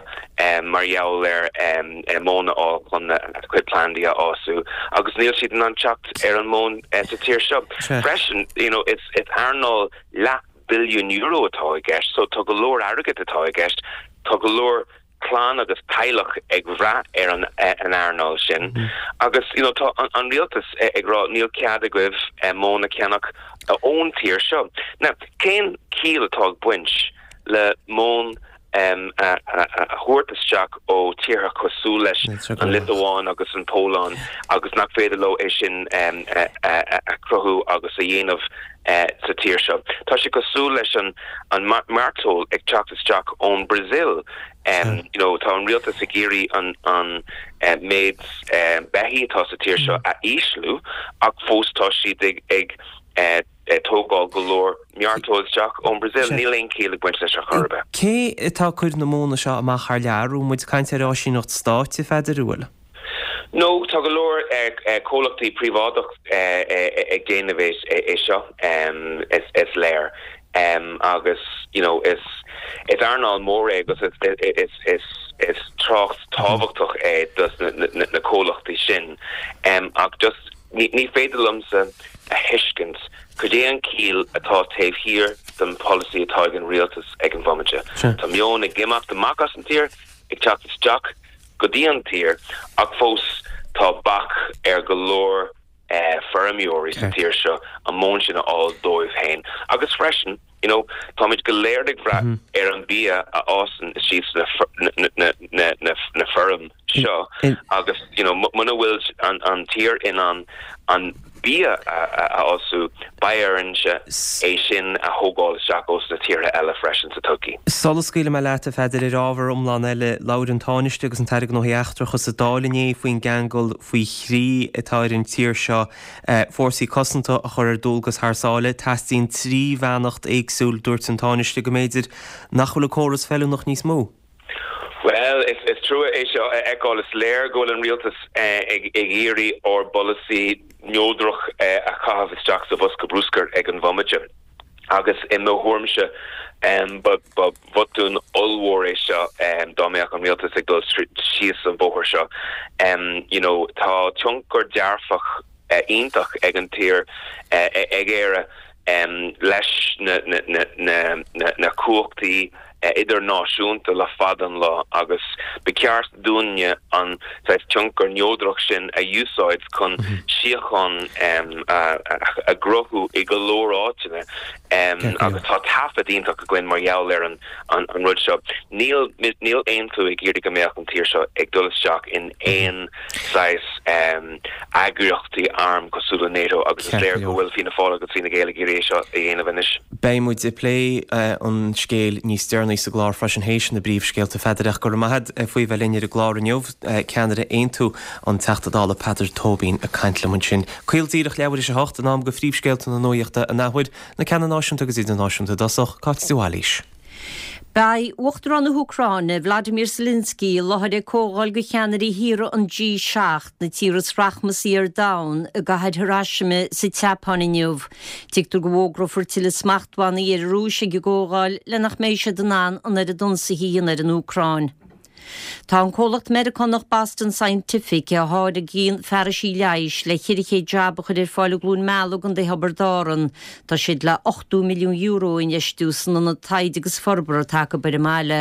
um, mar gheall ar um, móin a chun a cuid plandaí a fhású agus níl siad in ann teacht ar an móin uh, sa tír seo freisin you know it's it's earnáil leath billiún euro atá i gceist, so tá go leor airgead atá i gceist, tá go leor clann agus teaghlach ag brath ar an an earnáil sin. Mm. Agus you know, tá an, an rialtas ag rá níl cead agaibh eh, móin a cheannach ón tír seo. Now cén chiall atá ag baint le móin um, a, a, a thabhairt isteach ó tíortha cosúil leis an Liotuáin agus an Pholainn agus nach féidir leo é sin um, a, a, a chruthú agus a dhéanamh uh, sa tír seo. Tá sé cosúil leis an an mairteoil ag teacht isteach ón Brazil. Um, you know, tá an rialtas ag iarraidh an an uh, méid uh, beithígh atá sa tír seo a ísliú ach fós tá siad ag ag uh, tógáil go leor mairteoil isteach ón Brazil níl aon chiall ag baint leis ar chor ar bith. Cé atá ag cur na móna seo amach thar lear bhfuil muid ag caint ar áisíneacht stáit a Pheadair bhfuil? No tá go leor comhlachtaí príobháideach ag déanamh é seo is is léir. Um, agus you know is is earnáil mór é agus is is is is trácht tábhachtach é dos na, na, na comhlachtaí sin um, ach just ní, ní féidir liomsa a thuiscint cad é an chiall atá taobh thiar den policy atá ag an rialtas ag an bhomaite. Tá móin ag imeacht amach as an tír ag teacht isteach go dtí an tír ach fós tá bac ar go leor eh, feirmeoirí sa tír seo an móin sin a fháil dóibh féin. Agus freisin, you know, táimid go léir ag brath mm -hmm. ar an bia a fhásann istigh na, na, na, na, na feirm seo agus you know, muna bhfuil an, an tír in an an bia a fhású, beidh orainne é sin a thógáil isteach ós na tíortha eile freisin sa todhchaí. Sula scaoilfidh mé leat, a Pheadair, ar ábhar iomlán eile, labhair an Tánaiste agus an tAire Gnóthaí Eachtracha sa Dáil inné faoin gceangal faoi thrí atá ar an tír seo fórsaí cosanta a chur ar dualgas thar sáile. Teastaíonn trí bheannacht éagsúil, dúirt an Tánaiste, go mb'fhéidir nach bhfuil an córas feiliúnach níos mó. Bhuel, is trua é seo a fheiceáil. Is léir go bhfuil an rialtas ag iarraidh ár bpolasaí neodrach a chaitheamh isteach sa bhosca bruscair ag an bhomaite. Agus i mo thuairimse, ba bhotún ollmhór é seo dá mbeadh an rialtas ag dul síos an bóthar seo. You know, tá tionchar dearfach iontach ag an tír, ag Éire, leis na cumhachtaí idirnáisiúnta le fada an lá agus ba cheart dúinne an saghas tionchar neodrach sin a úsáid chun síocháin a chruthú i go leor áiteanna agus tá taifead iontach againn mar gheall ar an rud seo. Níl níl Aontú ag iarraidh go mbeadh an tír seo ag dul isteach in aon saghas eagraíochtaí arm cosúil le NATO agus is léir go bhfuil Fianna Fáil agus Fine Gael ag iarraidh é seo a dhéanamh anois. Beidh muid ag plé an scéil níos deireanaí sa gclár freisin théis na bpríomhscéalta. A Pheadair, ach go raibh maith agat faoi bheith linn ar an gclár inniu. Ceannaire Aontú, an Teachta Dála Peadar Tóibín ag caint liom ansin. Caol díreach leathuair théis a hocht, in am do phríomhscéalta na nuachta an athuair, na ceanna náisiúnta agus idirnáisiúnta i dtosach, Cáit de Bhailís. Beidh Uachtarán na hÚcráine, Vladimir Zelensky, i láthair ag comhdháil de cheannairí thíortha an G seacht, na tíortha is rachmasaí ar domhan, i gcathair Hiroshima sa tSeapáin inniu. Tuigtear go bhfógrófar tuilleadh smachtbhannaí ar an Rúis ag an gcomhdháil le nach mbeidh siad in ann an oiread ionsaithe a dhéanamh ar an Úcráin. Tá an comhlacht Meiriceánach Boston Scientific, a tháirgíonn fearaisí leighis, le ceithre chéad jab a chur ar fáil i gCluain Meala i gContae Thiobraid Árann. Tá siad le ochtó milliún euro a infheistiú san ionad taighde agus forbartha atá acu ar an mbaile.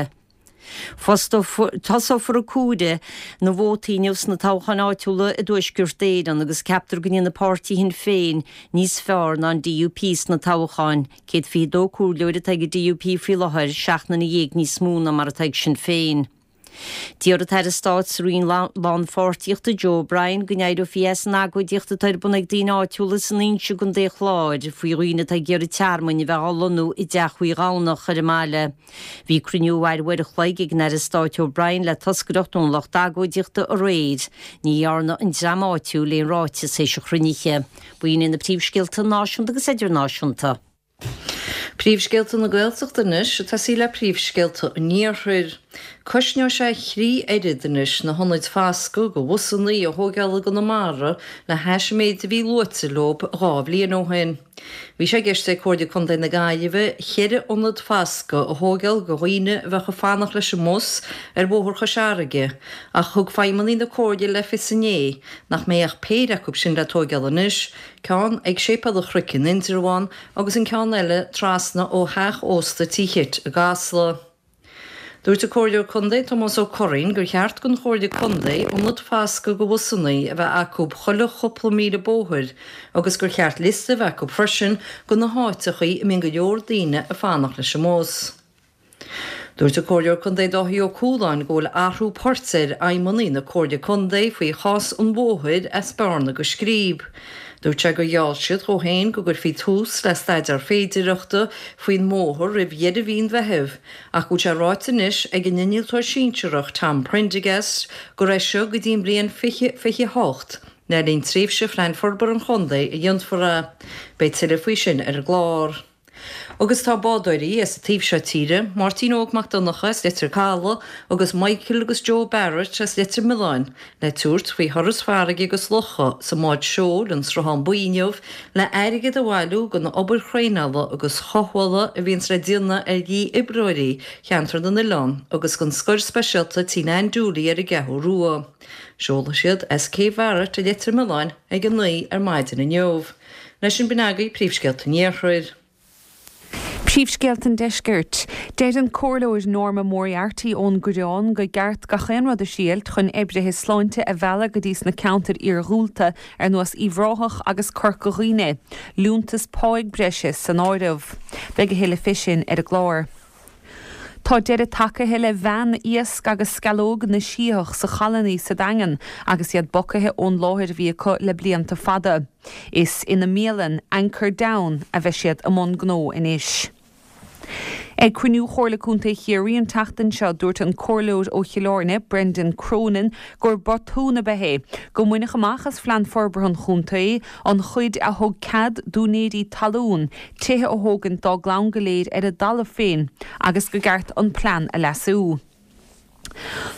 Tosófar ag comhaireamh na vótaí inniu sna toghcháin áitiúla i dTuaisceart Éireann agus ceaptar go ndéanfaidh páirtí Shinn Féin níos fearr ná an DUP sna toghcháin. céad fiche dó comhairleoir atá ag an DUP faoi láthair, seacht nduine dhéag níos mó ná mar atá ag Sinn Féin. D'iarr an tAire Stáit sa Roinn Lánpháirtíochta Joe O'Brien go n-éireofaí as an agóidíocht atá ar bun ag daoine áitiúla san Inse i gContae an Chláir faoi dhaoine atá ag iarraidh tearmainn a bheith á lonnú i dteach Uí Dhomhnach ar an mbaile. Bhí cruinniú a mhair uair a chloig ag an Aire Stáit O'Brien le toscaireacht ón lucht agóidíochta aréir. Ní dhearna an dream áitiúil aon ráiteas théis an chruinnithe. B'in iad na príomhscéalta náisiúnta agus idirnáisiúnta. Príomhscéalta na Gaeltachta anois, ag tosaí le príomhscéalta an Iarthair. Cosnóidh sé trí oiread anois na hionaid foscaidh do bhusannaí a thóigeáil i gConamara le hais an méid a bhí luaite leo dhá bhliain ó shin. Bhí sé i gceist ag Comhairle Contae na Gaillimhe ceithre ionad foscaidh a thóigeáil do dhaoine a bheadh ag fanacht leis an mbus ar Bhóthar Chois Fharraige ach thug feidhmeannaigh na Comhairle le fios inné nach mbeidh ach péire acu sin le tóigeáil anois, ceann ag Séipéal an Chnoic in Indreabhán agus an ceann eile trasna ó theach ósta Tí Chit i gCasla. Dúirt an Comhairleoir Contae Tomás Ó Curraoin gur cheart don Chomhairle Contae ionad foscaidh do bhusannaí a bheith acu chuile chúpla míle bóthair agus gur cheart liosta a bheith acu freisin de na háiteachaí a mbíonn go leor daoine ag fanacht leis an mbus. Dúirt an Comhairleoir Contae Dáithí Ó Cualáin go bhfuil athrú poirt ar fheidhmeannaigh na Comhairle Contae faoi chás an bhóthair as Bearna go Scríb. Dúirt sé gur gheall siad dhó féin go gcuirfí tús le staidéar féidireachta faoin mbóthar roimh dheireadh mhí an Mheithimh ach go bhfuil sé ráite anois ag an innealtóir sinsearach Tom Prendergast gur as seo go dtí an bhliain fiche fiche a hocht le linn tréimhse Phlean Forbartha an Chontae a dhéanfar é. Beidh tuilleadh faoi sin ar an gclár. Agus tá bádóirí as an taobh seo tíre, Máirtín Óg Mac Donncha as Leitir Calaidh agus Michael agus Joe Barrett as Leitir Mealláin le tabhairt faoi thuras farraige agus locha sa mbád seoil an Sruthán Buí inniu le airgead a bhailiú don obair thraenála agus chothabhála a bhíonns le déanamh ar dhí-oibreoirí Cheantar na nOileán agus don scoil speisialta Tí Nan Dooley ar an gCeathrú Rua. Seolfaidh siad as Cé Bharrett i Leitir Mealláin ag a naoi ar maidin inniu. Leis sin b'in agaibh príomhscéalta an Iarthair. Príomhscéalta an Deiscirt. Deir an Comhairleoir Norma Moriarty ón gCoireán go gceart gach aon rud a thriailt chun oibrithe sláinte a mhealladh go dtí sna ceantair iarghúlta ar nós Uíbh Ráthach agus Corca Dhuibhne, liúntas páigh breise san áireamh. Beidh a thuilleadh fé sin ar an gclár. Tá deireadh tagtha le veain iasc agus sceallóg na Sítheach sa Challannaigh sa Daingean agus iad bogtha ón láthair a bhí acu le blianta fada. Is ina mbialann Anchor Down a bheidh siad i mbun gnó anois. Ag cruinniú Chomhairle Contae Chiarraí an tseachtain seo dúirt an comhairleoir ó Chill Airne, Brendan Cronin, gur botún ab ea é, go mbainfeadh amach as Phlean Forbartha an Chontae an chuid a thug cead d'úinéirí talún tithe a thógaint dá gclann go léir ar a dtalamh féin agus gur cheart an plean a leasú.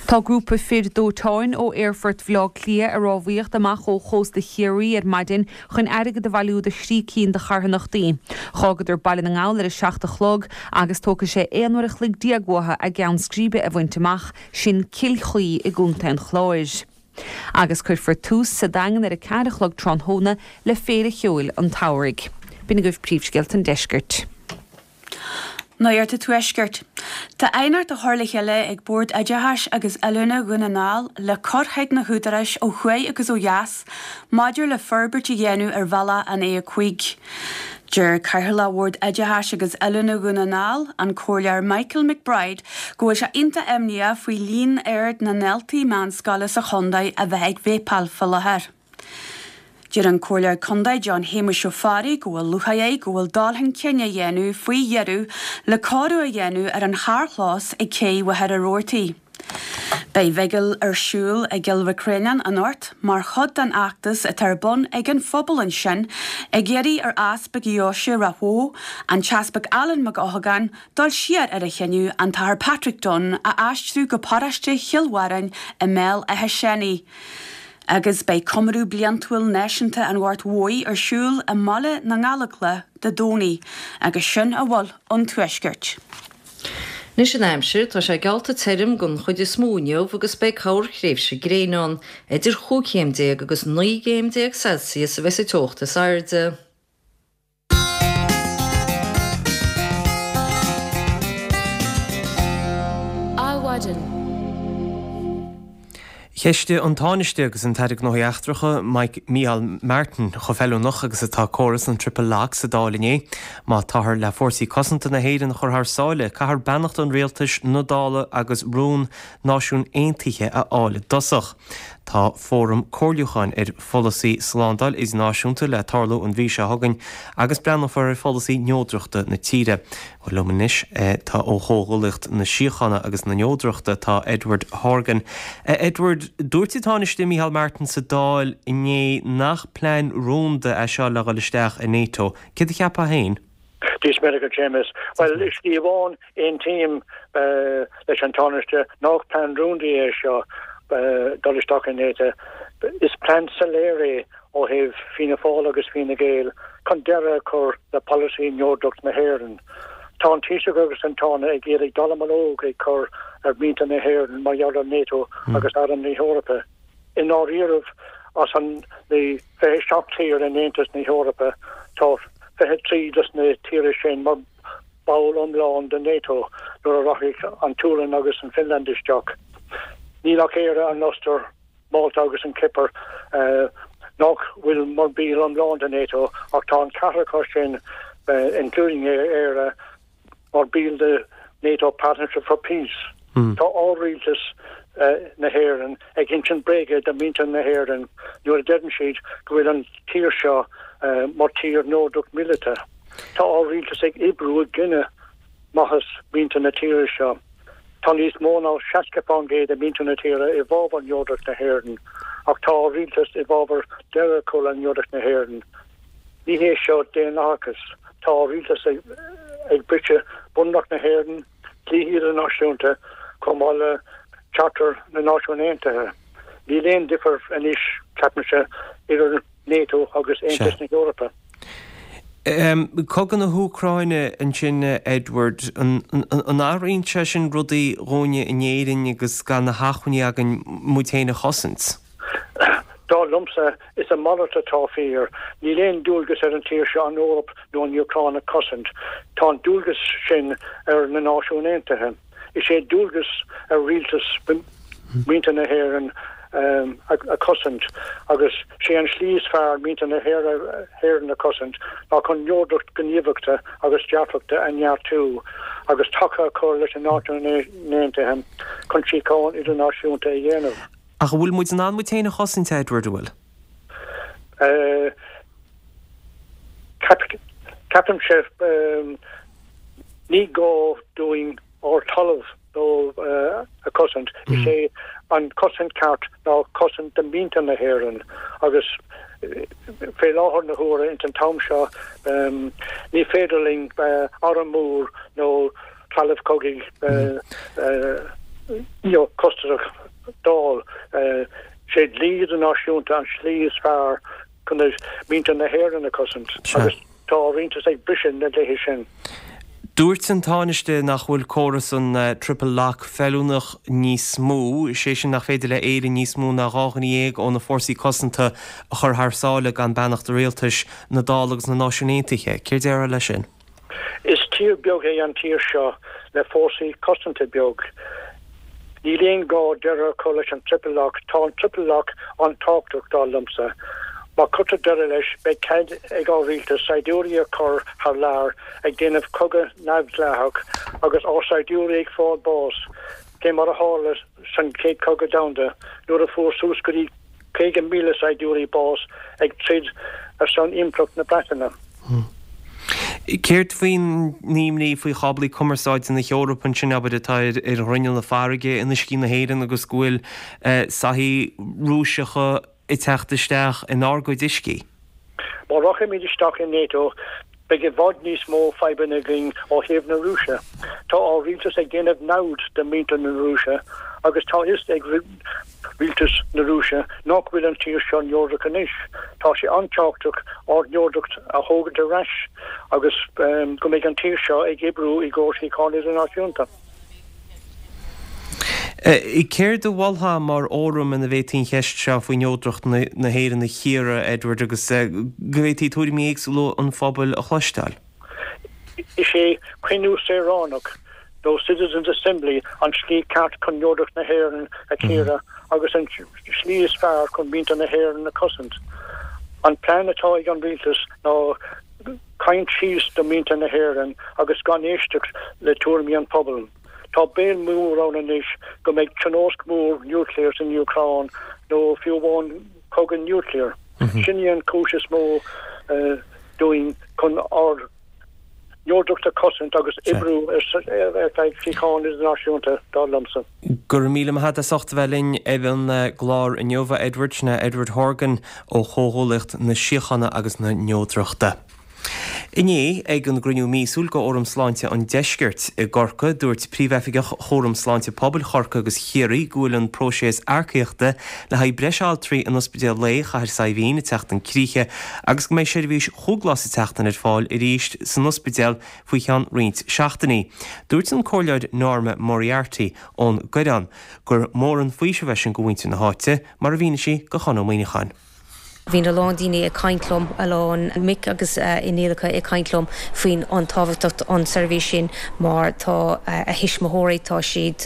Tá grúpa fir dóiteáin ó Aerfort Bhaile Átha Cliath ag rámhaíocht amach ó chósta Chiarraí ar maidin chun airgead a bhailiú do thrí cinn de charthanachtaí. D'fhágadar Baile na nGall ar a seacht a chlog agus tógfaidh sé aon uair a chloig déag uathu a gceann scríbe a bhaint amach, sin Cill Chaoi i gContae an Chláir. Agus cuirfear tús sa Daingean ar a ceathair a chlog tráthnóna le Féile Cheoil an tSamhraidh. B'in agaibh príomhscéalta an deiscirt. Nuacht an Tuaiscirt. Tá aighneacht á chur le chéile ag Bord Oideachais agus Oiliúna Dhún na nGall le cur chuig na húdaráis ó thuaidh agus ó dheas maidir le forbairt a dhéanamh ar bhealach an A a cúig. Deir Cathaoirleach Bhord Oideachais agus Oiliúna Dhún na nGall, an Comhairleoir Michael McBride, go bhfuil sé iontach imníoch faoi líon ard na ndaltaí meánscoile sa chontae a bheith ag véipeáil faoi láthair. Deir an Comhairleoir Contae John Shéamuis Ó Fearraigh go bhfuil lúcháir air go bhfuil dul chun cinn á dhéanamh faoi dheireadh le cóiriú a dhéanamh ar an charrchlós ag Cé Mhachaire Rabhartaigh. Beidh bigil ar siúl i gCill Mhic Réanáin anocht mar chuid den fheachtas atá ar bun ag an phobal ansin ag iarraidh ar Easpag Dheoise Ráth Bhoth, an tEaspag Alan Mac Eochagáin, dul siar ar a chinneadh an tAthair Patrick Dunne a aistriú go paróiste Chill Bharráin i mBéal Átha Seanaidh. Agus beidh comóradh bliantúil náisiúnta an Ghoirt Mhóir ar siúl i mBaile na nGallóglach Dé Domhnaigh, agus sin a bhfuil ón Tuaisceart. Anois an aimsir, tá sé geallta tirim don chuid is mó inniu agus beidh corrthréimhse gréine ann. Idir chúig chéim déag agus naoi gcéim déag Celsius a bheas an teocht is airde. Adhmhaidin. Cheistigh an Tánaiste agus an tAire Gnóthaí Eachtracha, Mike Micheál Martin, chomh feiliúnach agus atá córas an Triple Lock sa Dáil inné. Má táthar le fórsaí cosanta na hÉireann a chur thar sáile, caithfear beannacht an rialtais, na Dála agus rún Náisiún Aontaithe a fháil i dtosach. Tá fóram comhairliúcháin ar pholasaí slándáil idirnáisiúnta le tarlú an mhí seo chugainn agus breathnófar ar pholasaí neodrachta na tíre. Bhuel liom anois tá ó Chomhghuaillíocht na Síochána agus na Neodrachta tá Edward Horgan. Edward, dúirt an Tánaiste Micheál Martin sa Dáil inné nach plean rúnda é seo le dhul isteach i NATO. Céard a cheapfá féin? Dia is Muire dhuit, Séamus. Bhuel, i slí amháin, aontaím leis an Tánaiste nach plean rúnda é seo dul isteach i NATO. Is plean soiléir é ó thaobh Fianna Fáil agus Fine Gael chun deireadh a chur le polasaí neodracht na hÉireann. Tá an Taoiseach agus an Tánaiste ag iarraidh dallamullóg a chur ar mhuintir na hÉireann mar gheall ar NATO agus Arm na hEorpa. I ndáiríribh, as an na fiche seacht tír in Aontas na hEorpa, tá fiche trí dos na tíortha sin mar ball iomlán de NATO nuair a rachaidh an tSualainn agus an Finland isteach. Níl ach Éire, an Ostair, Málta agus an Chipir nach bhfuil mar bhall iomlán de NATO ach tá an ceathrar acu sin, including Éire, mar bhaill de NATO Partnership for Peace. Tá ár rialtas na hÉireann ag insint bréige do mhuintir na hÉireann nuair a deireann siad go bhfuil an tír seo mar tír neodrach míleata. Tá ár rialtas ag oibriú i gcoinne maitheas mhuintir na tíre seo. Tá níos mó ná seasca fán gcéad de mhuintir na tíre i bhfabhar neodracht na hÉireann ach tá ár rialtas i bhfabhar deireadh a chur le neodracht na hÉireann. Ní hé seo daonlathachas. Tá ár rialtas ag briseadh Bunreacht na hÉireann, dlíthe idirnáisiúnta, chomh maith le Charter na Náisiún Aontaithe. Níl aon difear anois, ceapaimse, idir NATO agus Aontas na hEorpa. Cogadh na hÚcráine ansin, Edward, an athraíonn sé sin rudaí dhúinne in Éirinn agus gan na hacmhainní againn muid féin a chosaint? Dar liomsa, is a mhalairt atá fíor. Níl aon dualgas ar an tír seo an Eoraip nó an Úcráin a chosaint. Tá an dualgas sin ar na Náisiúin Aontaithe. Is é dualgas ar rialtas muintir na hÉireann a chosaint agus sé an slí is fearr muintir na hÉireann a chosaint ná chun neodracht gníomhachta agus dearfachta a neartú agus taca a chur leis na Náisiúin Aontaithe chun síocháin idirnáisiúnta a dhéanamh. Ach an bhfuil muid in ann muid féin a chosaint, a Edward, an bhfuil? Ceapaimse, ní gá dúinn ár dtalamh nó a chosaint. Is é an cosaint ceart ná cosaint do mhuintir na hÉireann agus fé láthair na huaire ins an t-am seo ní féidir linn arm mór nó trealamh cogaidh costasach d'fháil. Sé dlí idirnáisiúnta an slí is fearr chun muintir na hÉireann a chosaint agus tá ár rialtas ag briseadh na dlíthe sin. Dúirt an Tánaiste nach bhfuil córas an Triple Lock feiliúnach níos mó, is é sin nach féidir le Éirinn níos mó ná dhá dhuine dhéag ó na fórsaí cosanta a chur thar sáile gan beannacht an rialtais, na Dála agus na Náisiún Aontaithe. Céard a déarfá leis sin? Is tír beag é an tír seo le fórsaí cosanta beag. Níl aon gá deireadh a chur leis an Triple Lock. Tá an Triple Lock an-tábhachtach, dar liomsa. Má cuirtear deireadh leis, beidh cead ag ár rialtas saighdiúirí a chur thar lear ag déanamh cogadh neamhdhleathach agus ár saighdiúirí ag fáil bás, fé mar a tharla san Chéad Chogadh Domhanda nuair a fuair suas go dtí caoga míle saighdiúirí bás ag troid ar son Impireacht na Breataine. Céard faoin imní faoi cháblaí cumarsáide na hEorpa ansin, abair, atá ar ghrinneall na farraige in uiscí na hÉireann agus go bhfuil soithí Rúiseacha ag teacht isteach inár gcuid uiscí? Má rachaimid isteach i NATO, beidh i bhfad níos mó fadhbanna againn ó thaobh na Rúise. Tá ár rialtas ag déanamh namhad de mhuintir na Rúise agus tá fhios ag rialtas na Rúise nach bhfuil an tír seo neodrach anois. Tá sé an-tábhachtach ár neodracht a thógaint ar ais agus go mbeidh an tír seo ag oibriú i gcomhair síocháin idirnáisiúnta. Céard a mholfá mar fhóram ina bhféadfaí an cheist seo faoi neodracht na hÉireann a chíoradh, Edward, agus go bhféadfaí tuairimí éagsúla an phobail a chloisteáil? Is é cruinniú saoránach nó Citizens Assembly an tslí ceart chun neodracht na hÉireann a chíoradh agus an slí is fearr chun muintir na hÉireann a chosaint. An plean atá ag an rialtas ná caint síos do mhuintir na hÉireann agus gan éisteacht le tuairimí an phobail. Tá baol mór ann anois go mbeidh tionóisc mhór núicléir san Úcráin nó fiú amháin cogadh núicléir. Sin í an chúis is mó dúinn chun ár neodracht a chosaint agus oibriú ar feadh síocháin idirnáisiúnta, dar liomsa. Go raibh míle maith agat as ucht a bheith linn ar an gclár inniu, a Edward. Sin é Edward Horgan ó Chomhghuaillíocht na Síochána agus na Neodrachta. Inné, ag an gcruinniú míosúil de Fhóram Sláinte an Deiscirt i gCorcaigh, dúirt Príomhoifigeach Chúram Sláinte Pobail Chorcaí agus Chiarraí go bhfuil an próiseas earcaíochta le haghaidh breis altraí in Ospidéal Lae Chathair Saidhbhín ag teacht chun críche agus go mbeidh seirbhís chúig lá sa tseachtain ar fáil arís san ospidéal faoi cheann roinnt seachtainí. Dúirt an Comhairleoir Norma Moriarty ón gCoireán gur mór an faoiseamh é sin do mhuintir na háite, mar a mhínigh sí do Chon Ó Muíneacháin. Bhí a lán daoine ag caint liom, a lán mic agus iníonacha ag caint liom faoin an tábhachtacht an seirbhís sin mar tá a thuismitheoirí, tá siad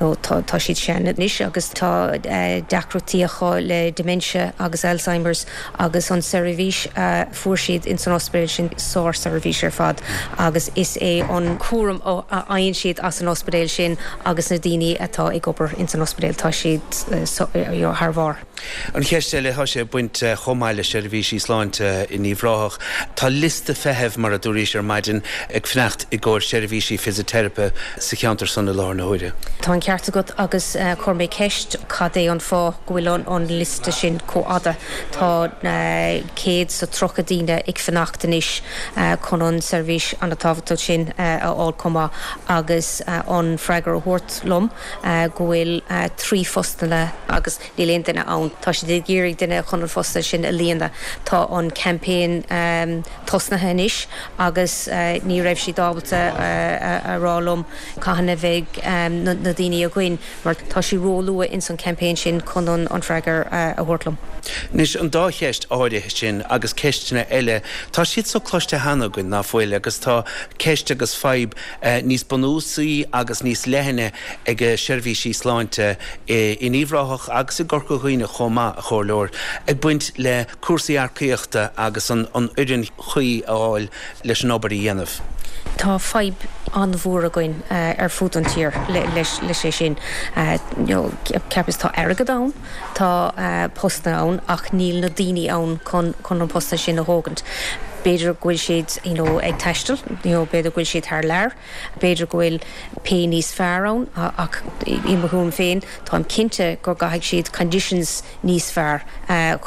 nó tá siad sean anois agus tá deacrachtaí acu le dementia agus Alzheimer's agus an seirbhís a fuair siad ins an ospidéal sin sár-seirbhís ar fad agus is é an cúram a fhaigheann siad as an ospidéal sin agus na daoine atá ag obair ins an ospidéal tá siad thar bharr. An cheist eile, tá sé ag baint chomh maith le seirbhísí sláinte in Uíbh Ráthach. Tá liosta feithimh, mar a dúraís ar maidin, ag fanacht i gcomhair seirbhísí fisiteiripe sa cheantar san i láthair na huaire. Tá an ceart agat agus chuir mé ceist cad é an fáth go bhfuil an liosta sin chomh fhada. Tá céad 's a tríocha daoine ag fanacht anois chun an seirbhís an-tábhachtach sin a fháil chomh maith agus an freagra a thabhairt liom go bhfuil trí phostanna agus níl aon duine ann. Tá siad ag iarraidh duine chun an post sin a líonadh. Tá an campaign tosnaithe anois agus ní raibh siad ábalta a rá liom cathain a bheidh na daoine againn mar tá sé ró-luath ins an campaign sin chun an freagra a thabhairt liom. Anois, an dá cheist áirithe sin agus ceisteanna eile, tá siad so cloiste cheana againn, ná fuil, agus tá ceist agus fadhb níos bunúsaí agus níos leithne ag seirbhísí sláinte in Uíbh Ráthach agus i gCorca Dhuibhne chomh maith, a Chomhairleoir, ag baint le cúrsaí earcaíochta agus an fhoireann chuí a fháil leis an obair a dhéanamh. Tá fadhb an-mhór againn ar fud an tír leis leis sin. Ceapas tá airgead ann, tá postanna ann ach níl na daoine ann chun chun an postanna sin a thógaint. B'fhéidir go bhfuil siad you know, ag taisteal, you know, b'fhéidir go bhfuil siad thar lear, b'fhéidir go bhfuil pay níos fearr ann ach i mo thuairim féin táim cinnte go gcaithfidh siad conditions níos fearr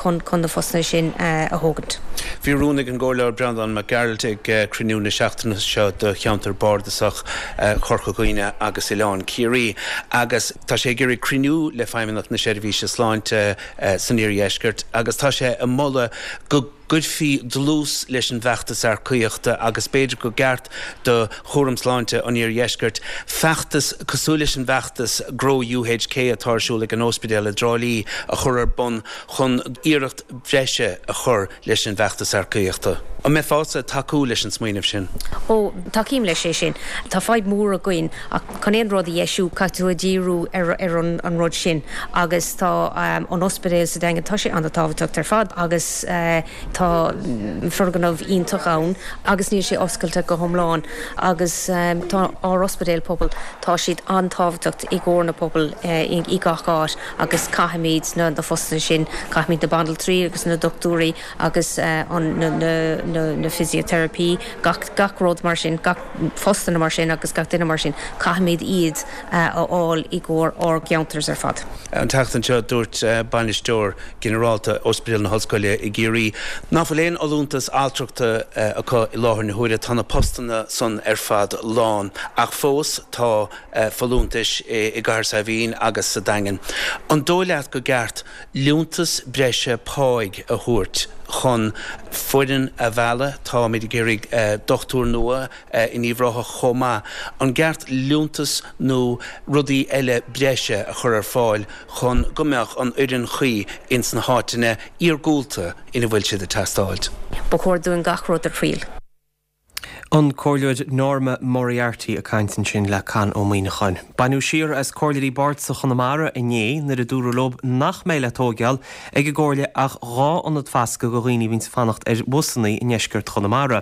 chun chun na postanna sin a thógaint. Bhí rún ag an gComhairleoir Breandán Mac Gearailt ag cruinniú na seachtaine seo do cheantar bardasach Chorca Dhuibhne agus Oileán Ciarraí agus tá sé ag iarraidh cruinniú le Feidhmeannacht na Seirbhíse Sláinte san Iardheisceart agus tá sé ag moladh go gcuirfí dlús leis an bhfeachtas earcaíochta agus b'fhéidir go gceart do Chúram Sláinte an Iardheiscirt feachtas cosúil leis an bhfeachtas Grow UHK atá ar siúl ag an Ospidéal i dTrá Lí a chur ar bun chun iarracht bhreise a chur leis an bhfeachtas earcaíochta. An mbeifeása ag tacú leis an smaoineamh sin? Ó, tacaím leis é sin. Tá fadhb mhór againn ach chun aon rud a dheisiú caithfidh tú a dhíriú ar ar an an rud sin agus tá an ospidéal sa Daingean, tá sé an-tábhachtach ar fad agus tá foirgneamh iontach ann agus níl sé oscailte go hiomlán agus tá ár ospidéal pobail, tá siad an-tábhachtach i gcomhair na pobail i gach áit agus caithfimid na na postanna sin, caithfimid na banaltraí agus na dochtúirí agus an na na na na physiotherapy, gach gach rud mar sin, gach postanna mar sin agus gach duine mar sin, caithfimid iad a fháil i gcomhair ár gceantars ar fad. An tseachtain seo dúirt bainisteoir ginearálta Ospidéal na hOllscoile i gCiarraí nach bhfuil aon fholúntas altrachta acu i láthair na huaire. Tá na postanna san ar fad lán ach fós tá folúntais i gCathair Saidhbhín agus sa Daingean. An dóigh leat go gceart liúntas breise páigh a thabhairt chun foireann a mhealladh? Táimid ag iarraidh dochtúir nua in Uíbh Ráthach chomh maith. An gceart liúntas nó rudaí eile breise a chur ar fáil chun go mbeadh an fhoireann chuí ins na háiteanna iargúlta ina bhfuil siad ag teastáilt? Ba chóir dúinn gach rud a thriail. An Comhairleoir Norma Moriarty ag caint ansin le Con Ó Muíneacháin. Baineadh siar as Comhairleoirí Bardasach Chonamara inné nuair a dúradh leo nach mbeidh le tóigeáil ag an gComhairle ach dhá ionad fasctha do dhaoine a bhíonns ag fanacht ar bhusanna i ndeisceart Chonamara.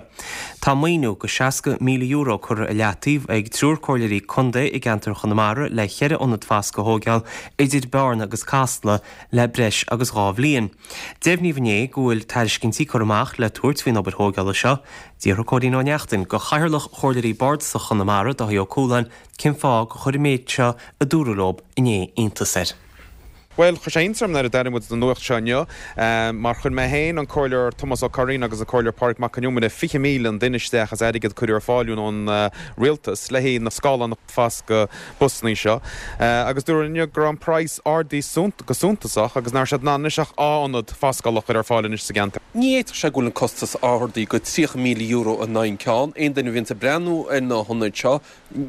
Tá maoiniú go seasca míle euro curtha i leataobh ag triúr comhairleoirí contae i gceantar Chonamara le ceithre ionad fasctha a thóigeáil idir Bearna agus Casla le breis agus dhá bhliain. Deimhníodh inné go bhfuil tairiscintí curtha amach le tabhairt faoin obair thóigeála seo. D'fhiafraigh Cóilín Ó Neachtain de Chathaoirleach Chomhairleoirí Bardasach Chonamara, Dáithí Ó Cualáin, cén fáth gur chuir an méid seo a dúradh leo inné iontas air. Bhuel, chuir sé iontas orm nuair a d'airigh muid an nuacht seo inniu, mar chuir mé féin, an Comhairleoir Tomás Ó Curraoin agus an Comhairleoir Pádraig Mac Con Iomaire fiche míle an duine isteach as airgead a cuireadh ar fáil ón Rialtas le haghaidh na scáileán foscadh busanna seo agus dúradh inniu go raibh an praghas ardaithe go suntasach agus nach raibh siad in ann anois ach dhá ionad foscála a chur ar fáil anois sa gceantar. Ní fhéadfadh sé go bhfuil an costas ardaithe go tríocha míle euro in aghaidh an ceann. Aon duine a bhíonns ag breathnú ar na hionaid seo,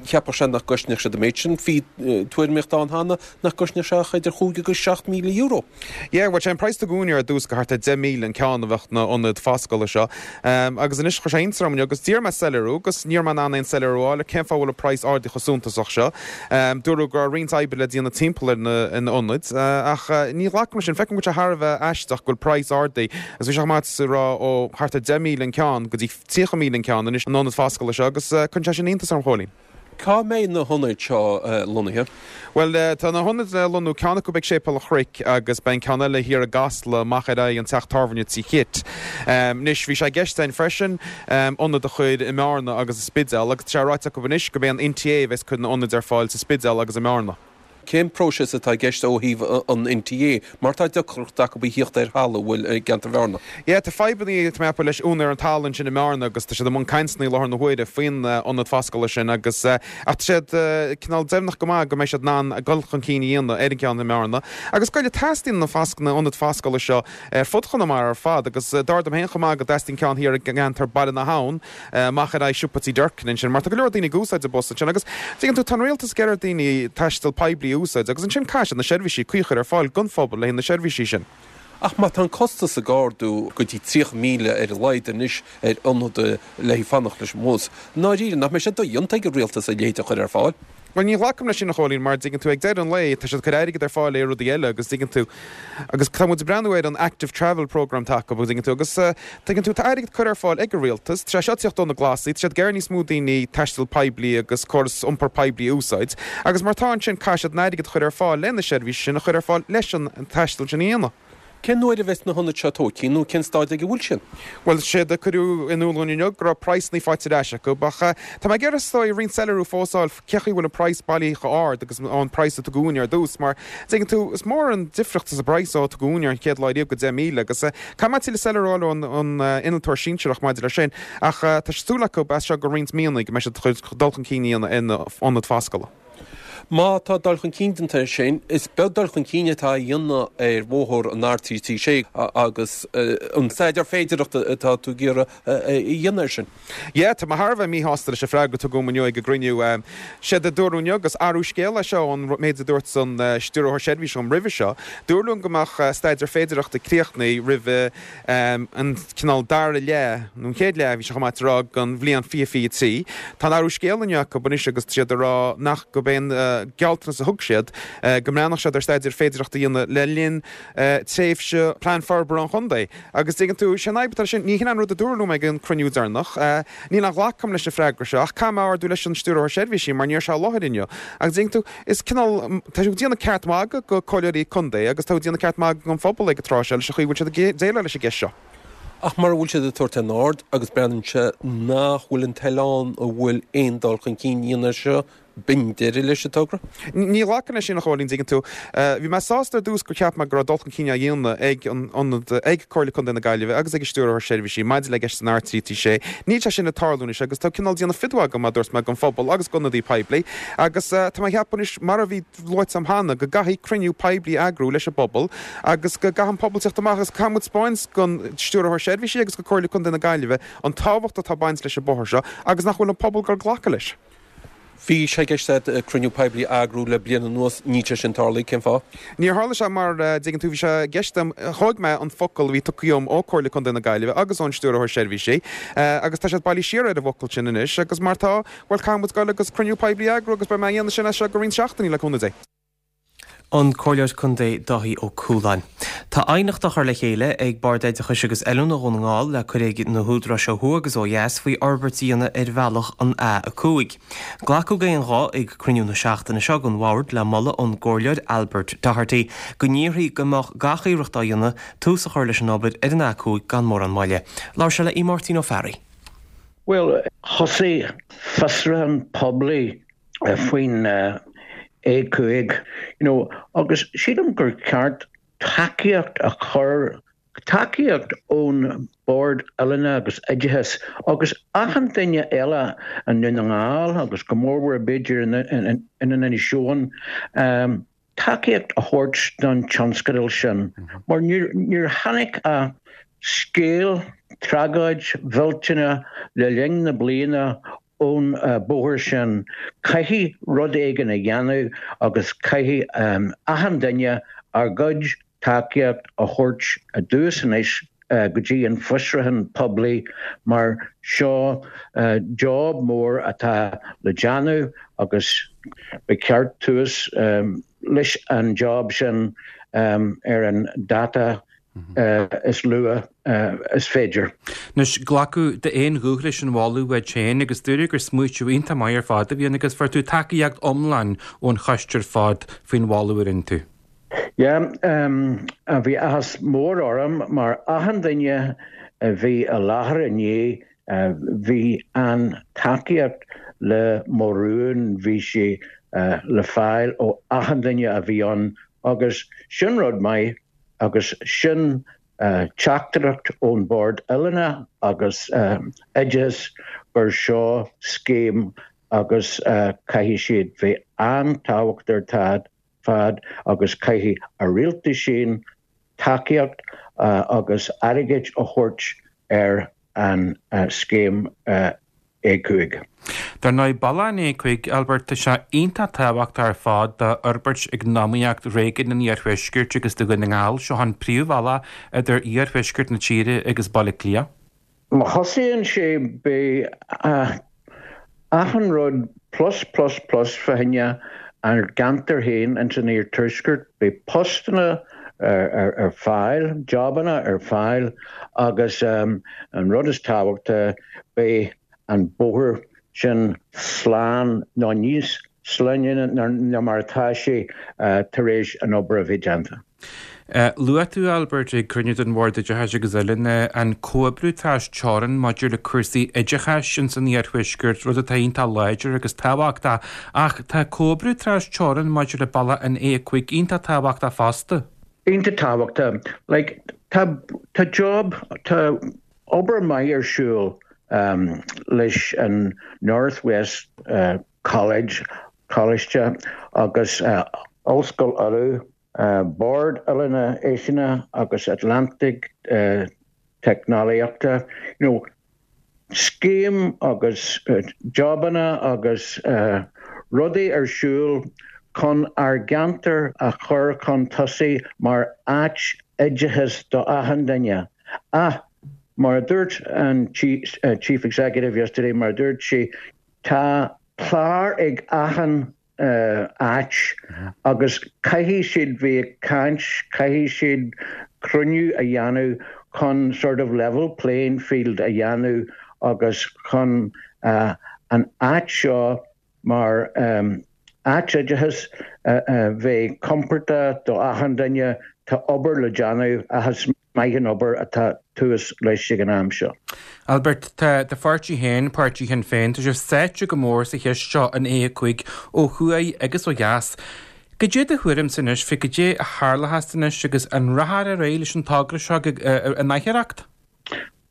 cheapfadh sé nach gcosnódh siad an méid sin. Bhí tuairimíocht ann cheana nach gcosnódh sé ach idir chúig agus seacht míle euro. Yeah, bhuel, sé an praghas a tugadh dúinn ar dtús go thart ar deich míle an ceann a bheadh na ionaid foscála seo. Agus anois chuir sé iontas orm inniu agus d'iarr mé soiléiriú agus ní raibh mé in ann aon soiléiriú a fháil ar cén fáth a bhfuil an praghas ardaithe chomh suntasach seo. Dúradh go raibh roinnt oibre le déanamh timpeall ar na hionaid ach ní ghlacaim leis sin. Feicim go bhfuil sé thar a bheith aisteach go bhfuil praghas ardaithe agus bhí sé chomh maith is a rá ó thart ar deich míle an ceann go dtí tríocha míle an ceann anois an ionad foscála seo agus cuireann sé sin iontas orm, a Chóilín. Cá mbeidh na hionaid seo lonnaithe? Bhuel, tá na hionaid le lonnú, ceann acu ag Séipéal an Chnoic agus beidh an ceann eile thiar i gCasla amach ar aghaidh an teach tábhairne Tí Chit. Anois, bhí sé i gceist againn freisin ionad a chur i mBearna agus sa Spidéal agus tá sé ráite acu anois gurb é an NTA a bheas ag cur na n-ionaid ar fáil sa Spidéal agus i mBearna. Cén próiseas atá i gceist ó thaobh an NTA mar tá deacracht acu a thíocht ar thalamh, bhfuil, i gceantar Bhearna? Yeah, tá fadhbanna, tá mé ag ceapadh, leis úinéir an talaimh ansin i mBearna agus tá siad i mbun cainteanna i láthair na huaire faoin ionad foscála sin agus ach tá siad cineál deimhneach go maith go mbeidh siad in ann dul chun cinn a dhéanamh ar an gceann i mBearna. Agus go dteastaíonn na fasc, na ionaid foscála seo ar fud Chonamara ar fad agus dar dom féin chomh maith go dteastaíonn ceann thiar i gceantar Baile na hAbhann amach ar aghaidh siopa Tí Durkin ansin mar tá go leor daoine ag úsáid an bus ansin agus tuigeann tú tá an rialtas ag iarraidh ar daoine taisteal poiblí a úsáid agus ansin caithfidh siad na seirbhísí cuí a chur ar fáil don phobal le haghaidh na seirbhísí sin. Ach má tá an costas ag ardú go dtí tríocha míle ar a laghad anois ar ionad le haghaidh fanacht leis an mbus, i ndáiríre nach mbeidh sé dodhéanta ag an rialtas a leithéid a chur ar fáil? Bhuel, ní ghlacaim leis sin, a Chóilín, mar dtuigeann tú, ag deireadh an lae, tá siad ag cur airgead ar fáil ar rudaí eile agus dtuigeann tú, agus tá muid ag breathnú ar an Active Travel Programme atá acu, agus dtuigeann tú, agus tuigeann tú, tá airgead curtha ar fáil ag an rialtas, tá sé seo ag tíocht ó na Glasaigh, tá siad ag iarraidh níos mó daoine taisteal poiblí agus córas iompair poiblí a úsáid, agus mar tá ansin, caithfidh siad an airgead a chur ar fáil le na seirbhísí sin a chur ar fáil leis an taisteal sin a dhéanamh. Cén uair a bheas na hionaid seo tógtha nó cén staid ag a bhfuil siad? Bhuel, séard a cuireadh in iúl dúinn inniu go raibh praghsanna faighte ar ais acu, ach tá mé ag iarraidh is dóigh roinnt soiléiriú fós a fháil cé chaoi bhfuil an praghas bailithe chomh ard agus an praghas a tugadh dúinn ar dtús, mar tuigeann tú, is mór an difríocht sa bpraghas ó tugadh dúinn ar an chéad lá riamh go deich míle agus caithfidh mé tuilleadh soiléiriú a fháil ón innealtóir sinsearach maidir leis sin, ach tá súil acu as seo go roinnt míonna go mbeidh siad chun dul chun cinn a dhéanamh ar na hionaid foscála. Má tá dul chun cinn déanta air sin, is beag dul chun cinn atá á dhéanamh ar bhóthar an R trí trí sé agus an staidéar féidearthachta atá tú ag iarraidh a dhéanamh air sin. Yeah, tá mé thar a bheith míshásta leis an freagra a tugadh dom inniu ag an gcruinniú. Séard a dúradh inniu agus athrú scéil é seo ón méid a dúirt an Stiúrthóir Seirbhíse dom roimhe seo. Dúradh liom go mbeadh staidéar féidearthachta críochnaithe roimh an cineál dara leath, nó an chéad leath, bhí sé chomh maith a rá, den bhliain fiche fiche trí. Tá an athrú scéil inniu acu anois agus tá siad ag rá nach gurb é an gealltanas a thug siad go mbreathnódh siad ar staidéar féidearthachta a dhéanamh le linn tréimhse Plean Forbartha an Chontae. Agus tuigeann tú, sé an fhadhb atá leis sin, ní hin an rud a dúradh liom ag an cruinniú deireanach. Níl aon ghlacadh agam leis an freagra seo ach caithfidh mé ardú leis an Stiúrthóir Seirbhísí mar ní raibh sé i láthair inniu. Agus tuigeann tú, is cineál, tá siad ag déanamh ceart magaidh go comhairleoirí contae agus tá ag déanamh ceart magaidh don phobal ag an tráth seo leis an chaoi a bhfuil siad ag déileáil leis an gceist seo. Ach mura bhfuil siad ag tabhairt aon aird agus breathnaíonn sé nach bhfuil an toil ann a bhfuil aon dul chun cinn a dhéanamh air seo, b'in deireadh leis an togra. Ní ghlacfainn leis sin, a Chóilín, dtuigeann tú. Bhí mé sásta ar dtús gur cheap mé go raibh dul chun cinn á dhéanamh ag an ionad, ag Comhairle Contae na Gaillimhe agus ag an Stiúrthóir Seirbhísí maidir le ceist an R trí trí sé. Níl sé sin ag tarlú anois agus tá cineál déanamh fios agam, mar a dúirt mé, don phobal agus d'ionadaí poiblí agus tá mé ag ceapadh anois, mar a bhí luaite agam cheana, go gcaithfidh cruinniú poiblí a eagrú leis an bpobal agus go gcaithfidh an pobal teacht amach agus caithfidh muid 'spáint don Stiúrthóir Seirbhísí agus do Comhairle Contae na Gaillimhe an tábhacht atá ag baint leis an bóthar seo agus nach bhfuil an pobal ag dul glacadh leis. Bhí sé i gceist agat cruinniú poiblí a eagrú le bliain anuas, níl sé sin tarlaithe, cén fáth? Níor tharla sé mar, dtuigeann tú, bhí sé i gceist agam, thóg mé an focal a bhí tugtha dhom ó Comhairle Contae na Gaillimhe agus ón Stiúrthóir Seirbhísí agus tá siad bailithe siar ar an bhfocal sin anois agus mar tá, bhuel, caithfidh muid dul agus cruinniú poiblí a eagrú agus beidh mé a dhéanamh sin as seo go roinnt seachtainí le cúnamh Dé. An Comhairleoir Contae Dáithí Ó Cualáin. Tá aighneacht á chur le chéile ag Bord Oideachais agus Oiliúna Dhún na nGall le cur ag na húdaráis ó thuaidh agus ó dheas faoi fhorbairt a dhéanamh ar bhealach an A a cúig. Glacadh d'aon ghuth ag cruinniú na seachtaine seo den Bhord le moladh ón gComhairleoir Albert Doherty go n-iarrfaí go mbeadh gach iarracht á dhéanamh tús a chur leis an obair ar an A cúig gan mórán moille. Labhair sé le Aodh Máirtín Ó Fearraigh. Bhuel, thosaigh fiosrúchán poiblí faoin A cúig, you know, agus sílim gur ceart tacaíocht a chur, tacaíocht ón Bord Oiliúna agus Oideachais agus achan duine eile i nDún na nGall agus go mórmhór b'fhéidir in Inis Eoghain, tacaíocht a thabhairt don tionscadal sin mar níor tháinig ach scéal, tragóid mhillteanach le linn na bliana ón bóthar sin. Caithfidh rud éigin a dhéanamh agus caithfidh achan duine ár gcuid tacaíocht a thabhairt i dtús anois go dtí an fiosrúchán poiblí mar seo job mór atá le déanamh agus ba cheart tús leis an job sin ar an dáta is luath is féidir. Anois, glacadh d'aon ghuth leis an mholadh uait féin agus dúradh gur smaoitiú iontach maith ar fad a bhí ann agus fuair tú tacaíocht iomlán ón choiste ar fad faoin mholadh a rinne tú. Yeah, bhí áthas mór orm mar achan duine a bhí i láthair inné bhí an tacaíocht le mo rún, bhí sé le fáil ó achan duine a bhí ann agus sin rud maith agus sin teachtaireacht ón Bord Oiliúna agus Oideachais gur seo scéim agus caithfidh siad bheith an-tábhachtach ar fad agus caithfidh a rialtas féin tacaíocht agus airgead a thabhairt ar an scéim A cúig. Dar ndóigh, bealach an A cúig, Albert, tá sé iontach tábhachtach ar fad d'fhorbairt eacnamaíocht réigiún an Iarthuaiscirt agus do Dhún na nGall. Seo an príomhbhealach idir iarthuaisceart na tíre agus Baile Átha Cliath. Má thosaíonn sé, beidh achan rud plus plus plus fá choinne ár gceantar féin ins an iarthuaisceart, beidh postanna ar fáil, jobanna ar fáil agus an rud is tábhachtaí beidh an bóthar sin slán nó níos sláine ná mar atá sé tar éis an obair a bheith déanta. Luaigh tú, Albert, ag cruinniú den Bhord Oideachais agus Oiliúna, an comhoibriú trasteorann maidir le cúrsaí oideachais ins an Iarthuaisceart, rud atá iontach láidir agus tábhachtach, ach tá comhoibriú trasteorann maidir le bealach an A a cúig iontach tábhachtach fosta. Iontach tábhachtach. Like, tá, tá job, tá obair maith ar siúl leis an North West College, Coláiste agus Ollscoil Uladh, Bord Oiliúna Áiseanna agus Atlantaigh Teicneolaíochta, you know, scéim agus jobanna agus rudaí ar siúl chun ár gceantar a chur chun tosaigh mar áit oideachais do achan duine. Ach, mar a dúirt an Chief Executive yesterday, mar a dúirt sí, tá clár ag achan áit agus caithfidh siad bheith ag caint, caithfidh siad cruinniú a dhéanamh chun sort of level playing field a dhéanamh agus chun an áit seo mar áit oideachais a bheith compordach do achan duine, tá obair le déanamh ach is maith an obair atá tús leis ag an am seo. Albert, tá do pháirtí féin, Páirtí Shinn Féin, tá sibh sáite go mór sa cheist seo an A a cúig ó thuaidh agus ó dheas. Cad é do thuairimse anois fé cad é a tharlóchas anois agus an rachfar ar aghaidh leis an togra seo an athuair?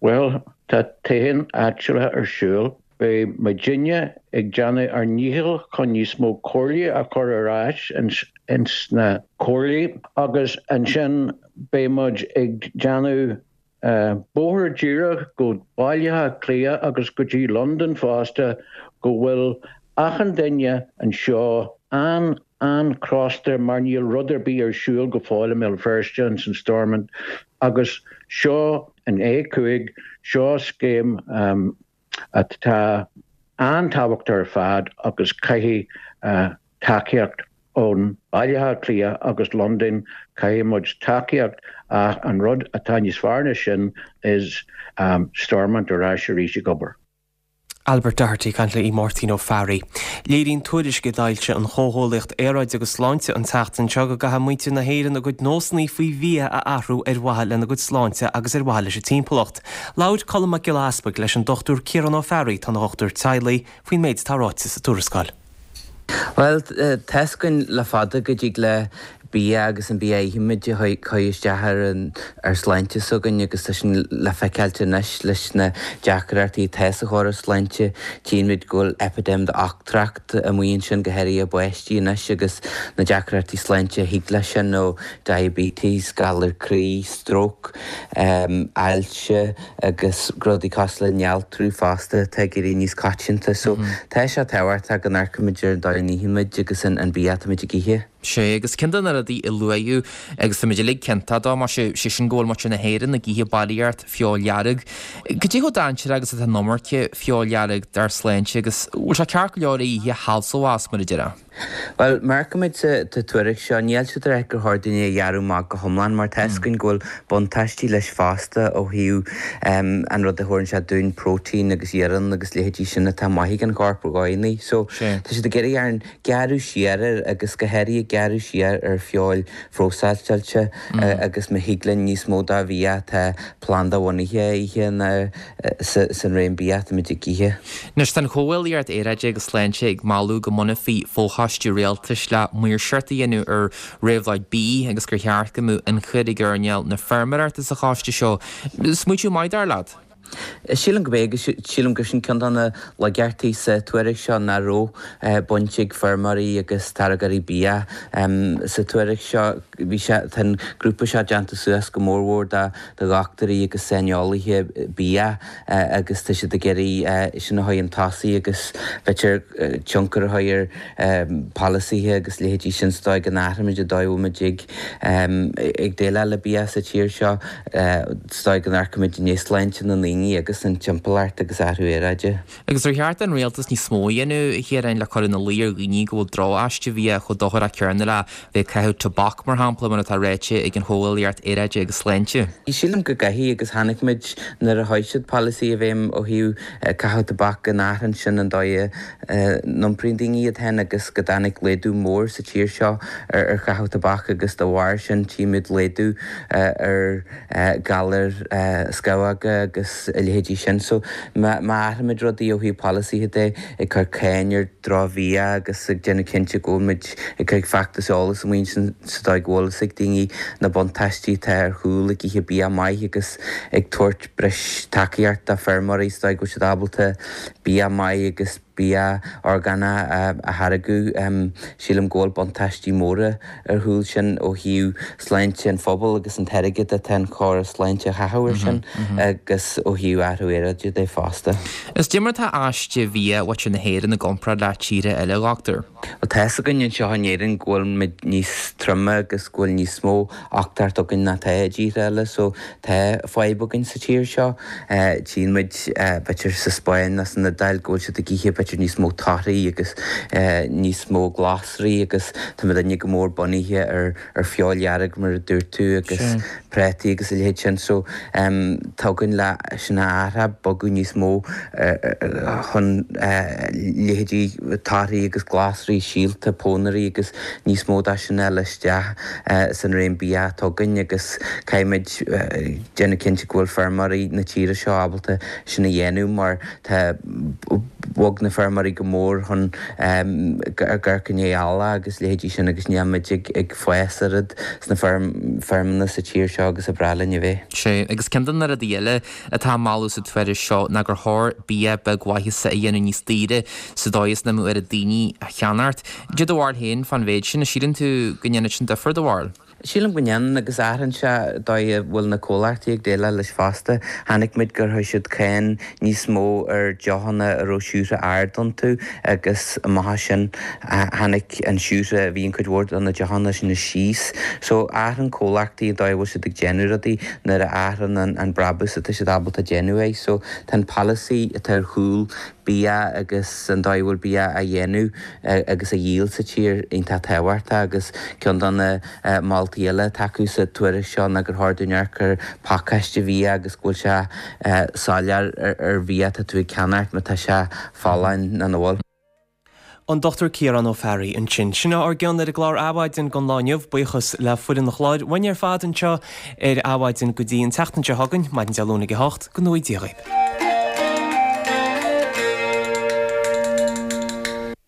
Bhuel, tá toghcháin áitiúla ar siúl. Beidh muidinne ag déanamh ár ndícheall chun níos mó comhairlí a chur ar ais ins na comhairlí agus ansin beidh muid ag déanamh bóthar díreach go Baile Átha Cliath agus go dtí Londain fosta go bhfuil achan duine anseo an an-chrosta mar níl rud ar bith ar siúl go fóill i mBéal Feirste ins an Stormont agus seo an A cúig, seo scéim atá an-tábhachtach ar fad agus caithfidh tacaíocht ón Baile Átha Cliath agus Londain, caithfidh muid tacaíocht ach an rud atá níos fearr ná sin is Stormont ar ais arís ag obair. Albert Doherty ag caint le Máirtín Ó Fearraigh. Léiríonn tuairisc a d'fhoilsigh an Chomhghuaillíocht Aeráide agus Sláinte an tseachtain seo go gcaithfidh muintir na hÉireann a gcuid nósanna faoi bhia a athrú ar mhaithe lena gcuid sláinte agus ar mhaithe leis an timpeallacht. Labhair Colm Mac Giolla Easpaig leis an Dochtúir Ciarán Ó Fearraigh, atá ina dhochtúir teaghlaigh, faoin méid atá ráite sa tuarascáil. Bhuel, tá a fhios againn le fada go dtig le bia agus an bia a ithimid a chur isteach ar an ár sláinte s'againn agus tá sin le feiceáilt anois leis na deacrachtaí atá sa chóras sláinte. Tchíonn muid go bhfuil eipidéim d'ochtracht amuigh ansin, go háirithe i bpáistí anois agus na deacrachtaí sláinte a thig leis sin ó diabetes, galar croí, stróc, ailse agus rudaí cosúil le néaltrú fosta atá ag éirí níos coitianta. So tá sé tábhachtach go n-amharcaimid ar an dóigh a n-ithimid agus an bia atáimid ag ithe. Sé, agus ceann de na rudaí a luaíodh, agus táimid uilig ciontach dó, más ea, sé sin go bhfuil muintir na hÉireann ag ithe barraíocht feoil dhearg. Cad é chomh dainséarach agus atá an iomarca feoil dhearg dár sláinte agus bhfuil sé ceart go leor é a ithe shalsamh as, mar a déarfá? Bhuel, mar a fheicimid sa tuairisc seo, níl siad ag rá gur chóir dúinn é a ghearradh amach go hiomlán mar tá a fhios againn go bhfuil buntáistí leis fosta ó thaobh an rud a thabharann sé dúinn, próitéin agus iarann agus leithéidí sin atá maith ag an chorp i gcónaí. So, tá siad ag iarraidh orainn gearradh siar air agus go háirithe gearradh siar ar feoil phróiseáilte agus má thig linn níos mó de bhia atá planda-bhunaithe a ithe ná san réim bia atáimid ag ithe. Anois tá an Chomhghuaillíocht Aeráide agus Sláinte ag moladh go mbunófaí fochoiste rialtais le maoirseacht a dhéanamh ar réabhlóid bídh agus gur cheart go mbeadh ionchur ag earnáil na feirmeoireachta sa choiste seo. Smaoitiú maith dar leat? Sílim gurb é agus sílim gur sin ceann de na laigeachtaí sa tuairisc seo nach raibh baint ag feirmeoirí agus táirgeoirí bia sa tuairisc seo. Bhí sé, tá an grúpa seo déanta suas go mórmhór de dhochtúirí agus saineolaithe bia agus tá siad ag iarraidh sin a chur chun tosaigh agus b'fhéidir tionchar a chur ar pholasaithe agus leithéidí sin sa dóigh go n-athraímid an dóigh a bhfuil muid ag ag déileáil le bia sa tír seo, sa dóigh go n-amharcaimid i ndiaidh sláinte na ndaoine. daoine agus an timpeallacht agus athrú aeráide. Agus ar cheart don rialtas níos mó a dhéanamh, a Chiaráin, le cur ina luí ar dhaoine go bhfuil droch-aiste bhia chomh dochrach céanna le bheith ag caitheamh tobac, mar shampla, mar atá ráite ag an Chomhghuaillíocht Aeráide agus Sláinte? Sílim go gcaithfidh agus chonaic muid nuair a chuir siad polasaí i bhfeidhm ó thaobh caitheamh tobac go n-athraíonn sin an dóigh a n-iompraíonn daoine iad féin agus go dtáinig laghdú mór sa tír seo ar chaitheamh tobac agus de bharr sin tchímid laghdú ar ghalair scamhóga agus a leithéidí sin. So má athraímid rudaí ó thaobh polasaithe de, ag cur cáin ar dhrochbhia agus ag déanamh cinnte go bhfuil muid ag cur feachtas eolais amuigh ansin sa dóigh go bhfuil fhios ag daoine na buntáistí atá ar chúl ag ithe bia maith agus ag tabhairt breis tacaíocht do feirmeoirí sa dóigh go bhfuil siad ábalta bia maith agus bia orgánach a tháirgeadh. Sílim go bhfuil buntáistí móra ar chúl sin ó thaobh sláinte an phobail agus an t-airgead atá an córas sláinte a chaitheamh air sin agus ó thaobh athrú aeráide de fosta. Is cad é mar atá aiste bhia mhuintir na hÉireann i gcomparáid le tíortha eile, a dhochtúir. Bhuel, tá fhios againn anseo in Éirinn go bhfuil muid níos troime agus go bhfuil níos mó uchtaíocht againn ná tá i dtíortha eile so tá fadhb againn sa tír seo. Tchíonn muid b'fhéidir sa Spáinn nó san Iodáil go bhfuil siad ag ithe b'fhéidir níos mó torthaí agus níos mó glasraí agus tá muidinne go mór bunaithe ar ar feoil dhearg mar a dúirt tú agus prátaí agus a leithéid sin so tá againn le sin a athrú, bogadh níos mó chun leithéidí torthaí agus glasraí, síolta, pónairí agus níos mó de sin a fháil isteach san réim bia atá againn agus caithfimid déanamh cinnte go bhfuil feirmeoirí na tíre seo ábalta sin a dhéanamh mar tá bhog na feirmeoirí go mór chun amharc i ndiaidh eallach agus leithéidí sin agus níl muid ag fás oiread sna feirmeanna sa tír seo agus a bhreá linn a bheith. Sea, agus ceann de na rudaí eile atá á moladh sa tuairisc seo ná gur chóir bia beagmhaitheasa a dhéanamh níos daoire sa dóigh is nach mbeadh oiread daoine á cheannacht. Cad é do bharúil féin fán mhéid sin, an síleann tú go ndéanfadh sin difear, do bharúil? Sílim go ndéanann agus athraíonn sé an dóigh a bhfuil na comhlachtaí ag déileáil leis fosta. Chonaic muid gur chuir siad cáin níos mó ar deochanna a raibh siúcra ard iontu agus amach as sin tháinig an siúcra a bhí in cuid mhór de na deochanna sin síos. So athraíonn comhlachtaí an dóigh a bhfuil siad ag déanamh rudaí nuair a athraíonn an brabús atá siad ábalta déanamh é. So tá an polasaí atá ar chúl bia agus an dóigh a bhfuil bia á dhéanamh agus á dhíol sa tír iontach tábhachtach agus ceann de na moltaí eile atá acu sa tuairisc seo ná gur chóir dúinn amharc ar phacáiste bhia agus go bhfuil sé soiléir ar bhia atá tú ag ceannacht má tá sé folláin nó nach bhfuil. An Dochtúir Ciarán Ó Fearraigh ansin. Sin ár gcion ar an gclár Adhmhaidin don lá inniu. Buíochas le foireann an chláir uainn ar fad anseo ar Adhmhaidin go dtí an tseachtain seo chugainn, maidin Dé Luain ag a hocht, go ngnóthaí Dia dhaoibh.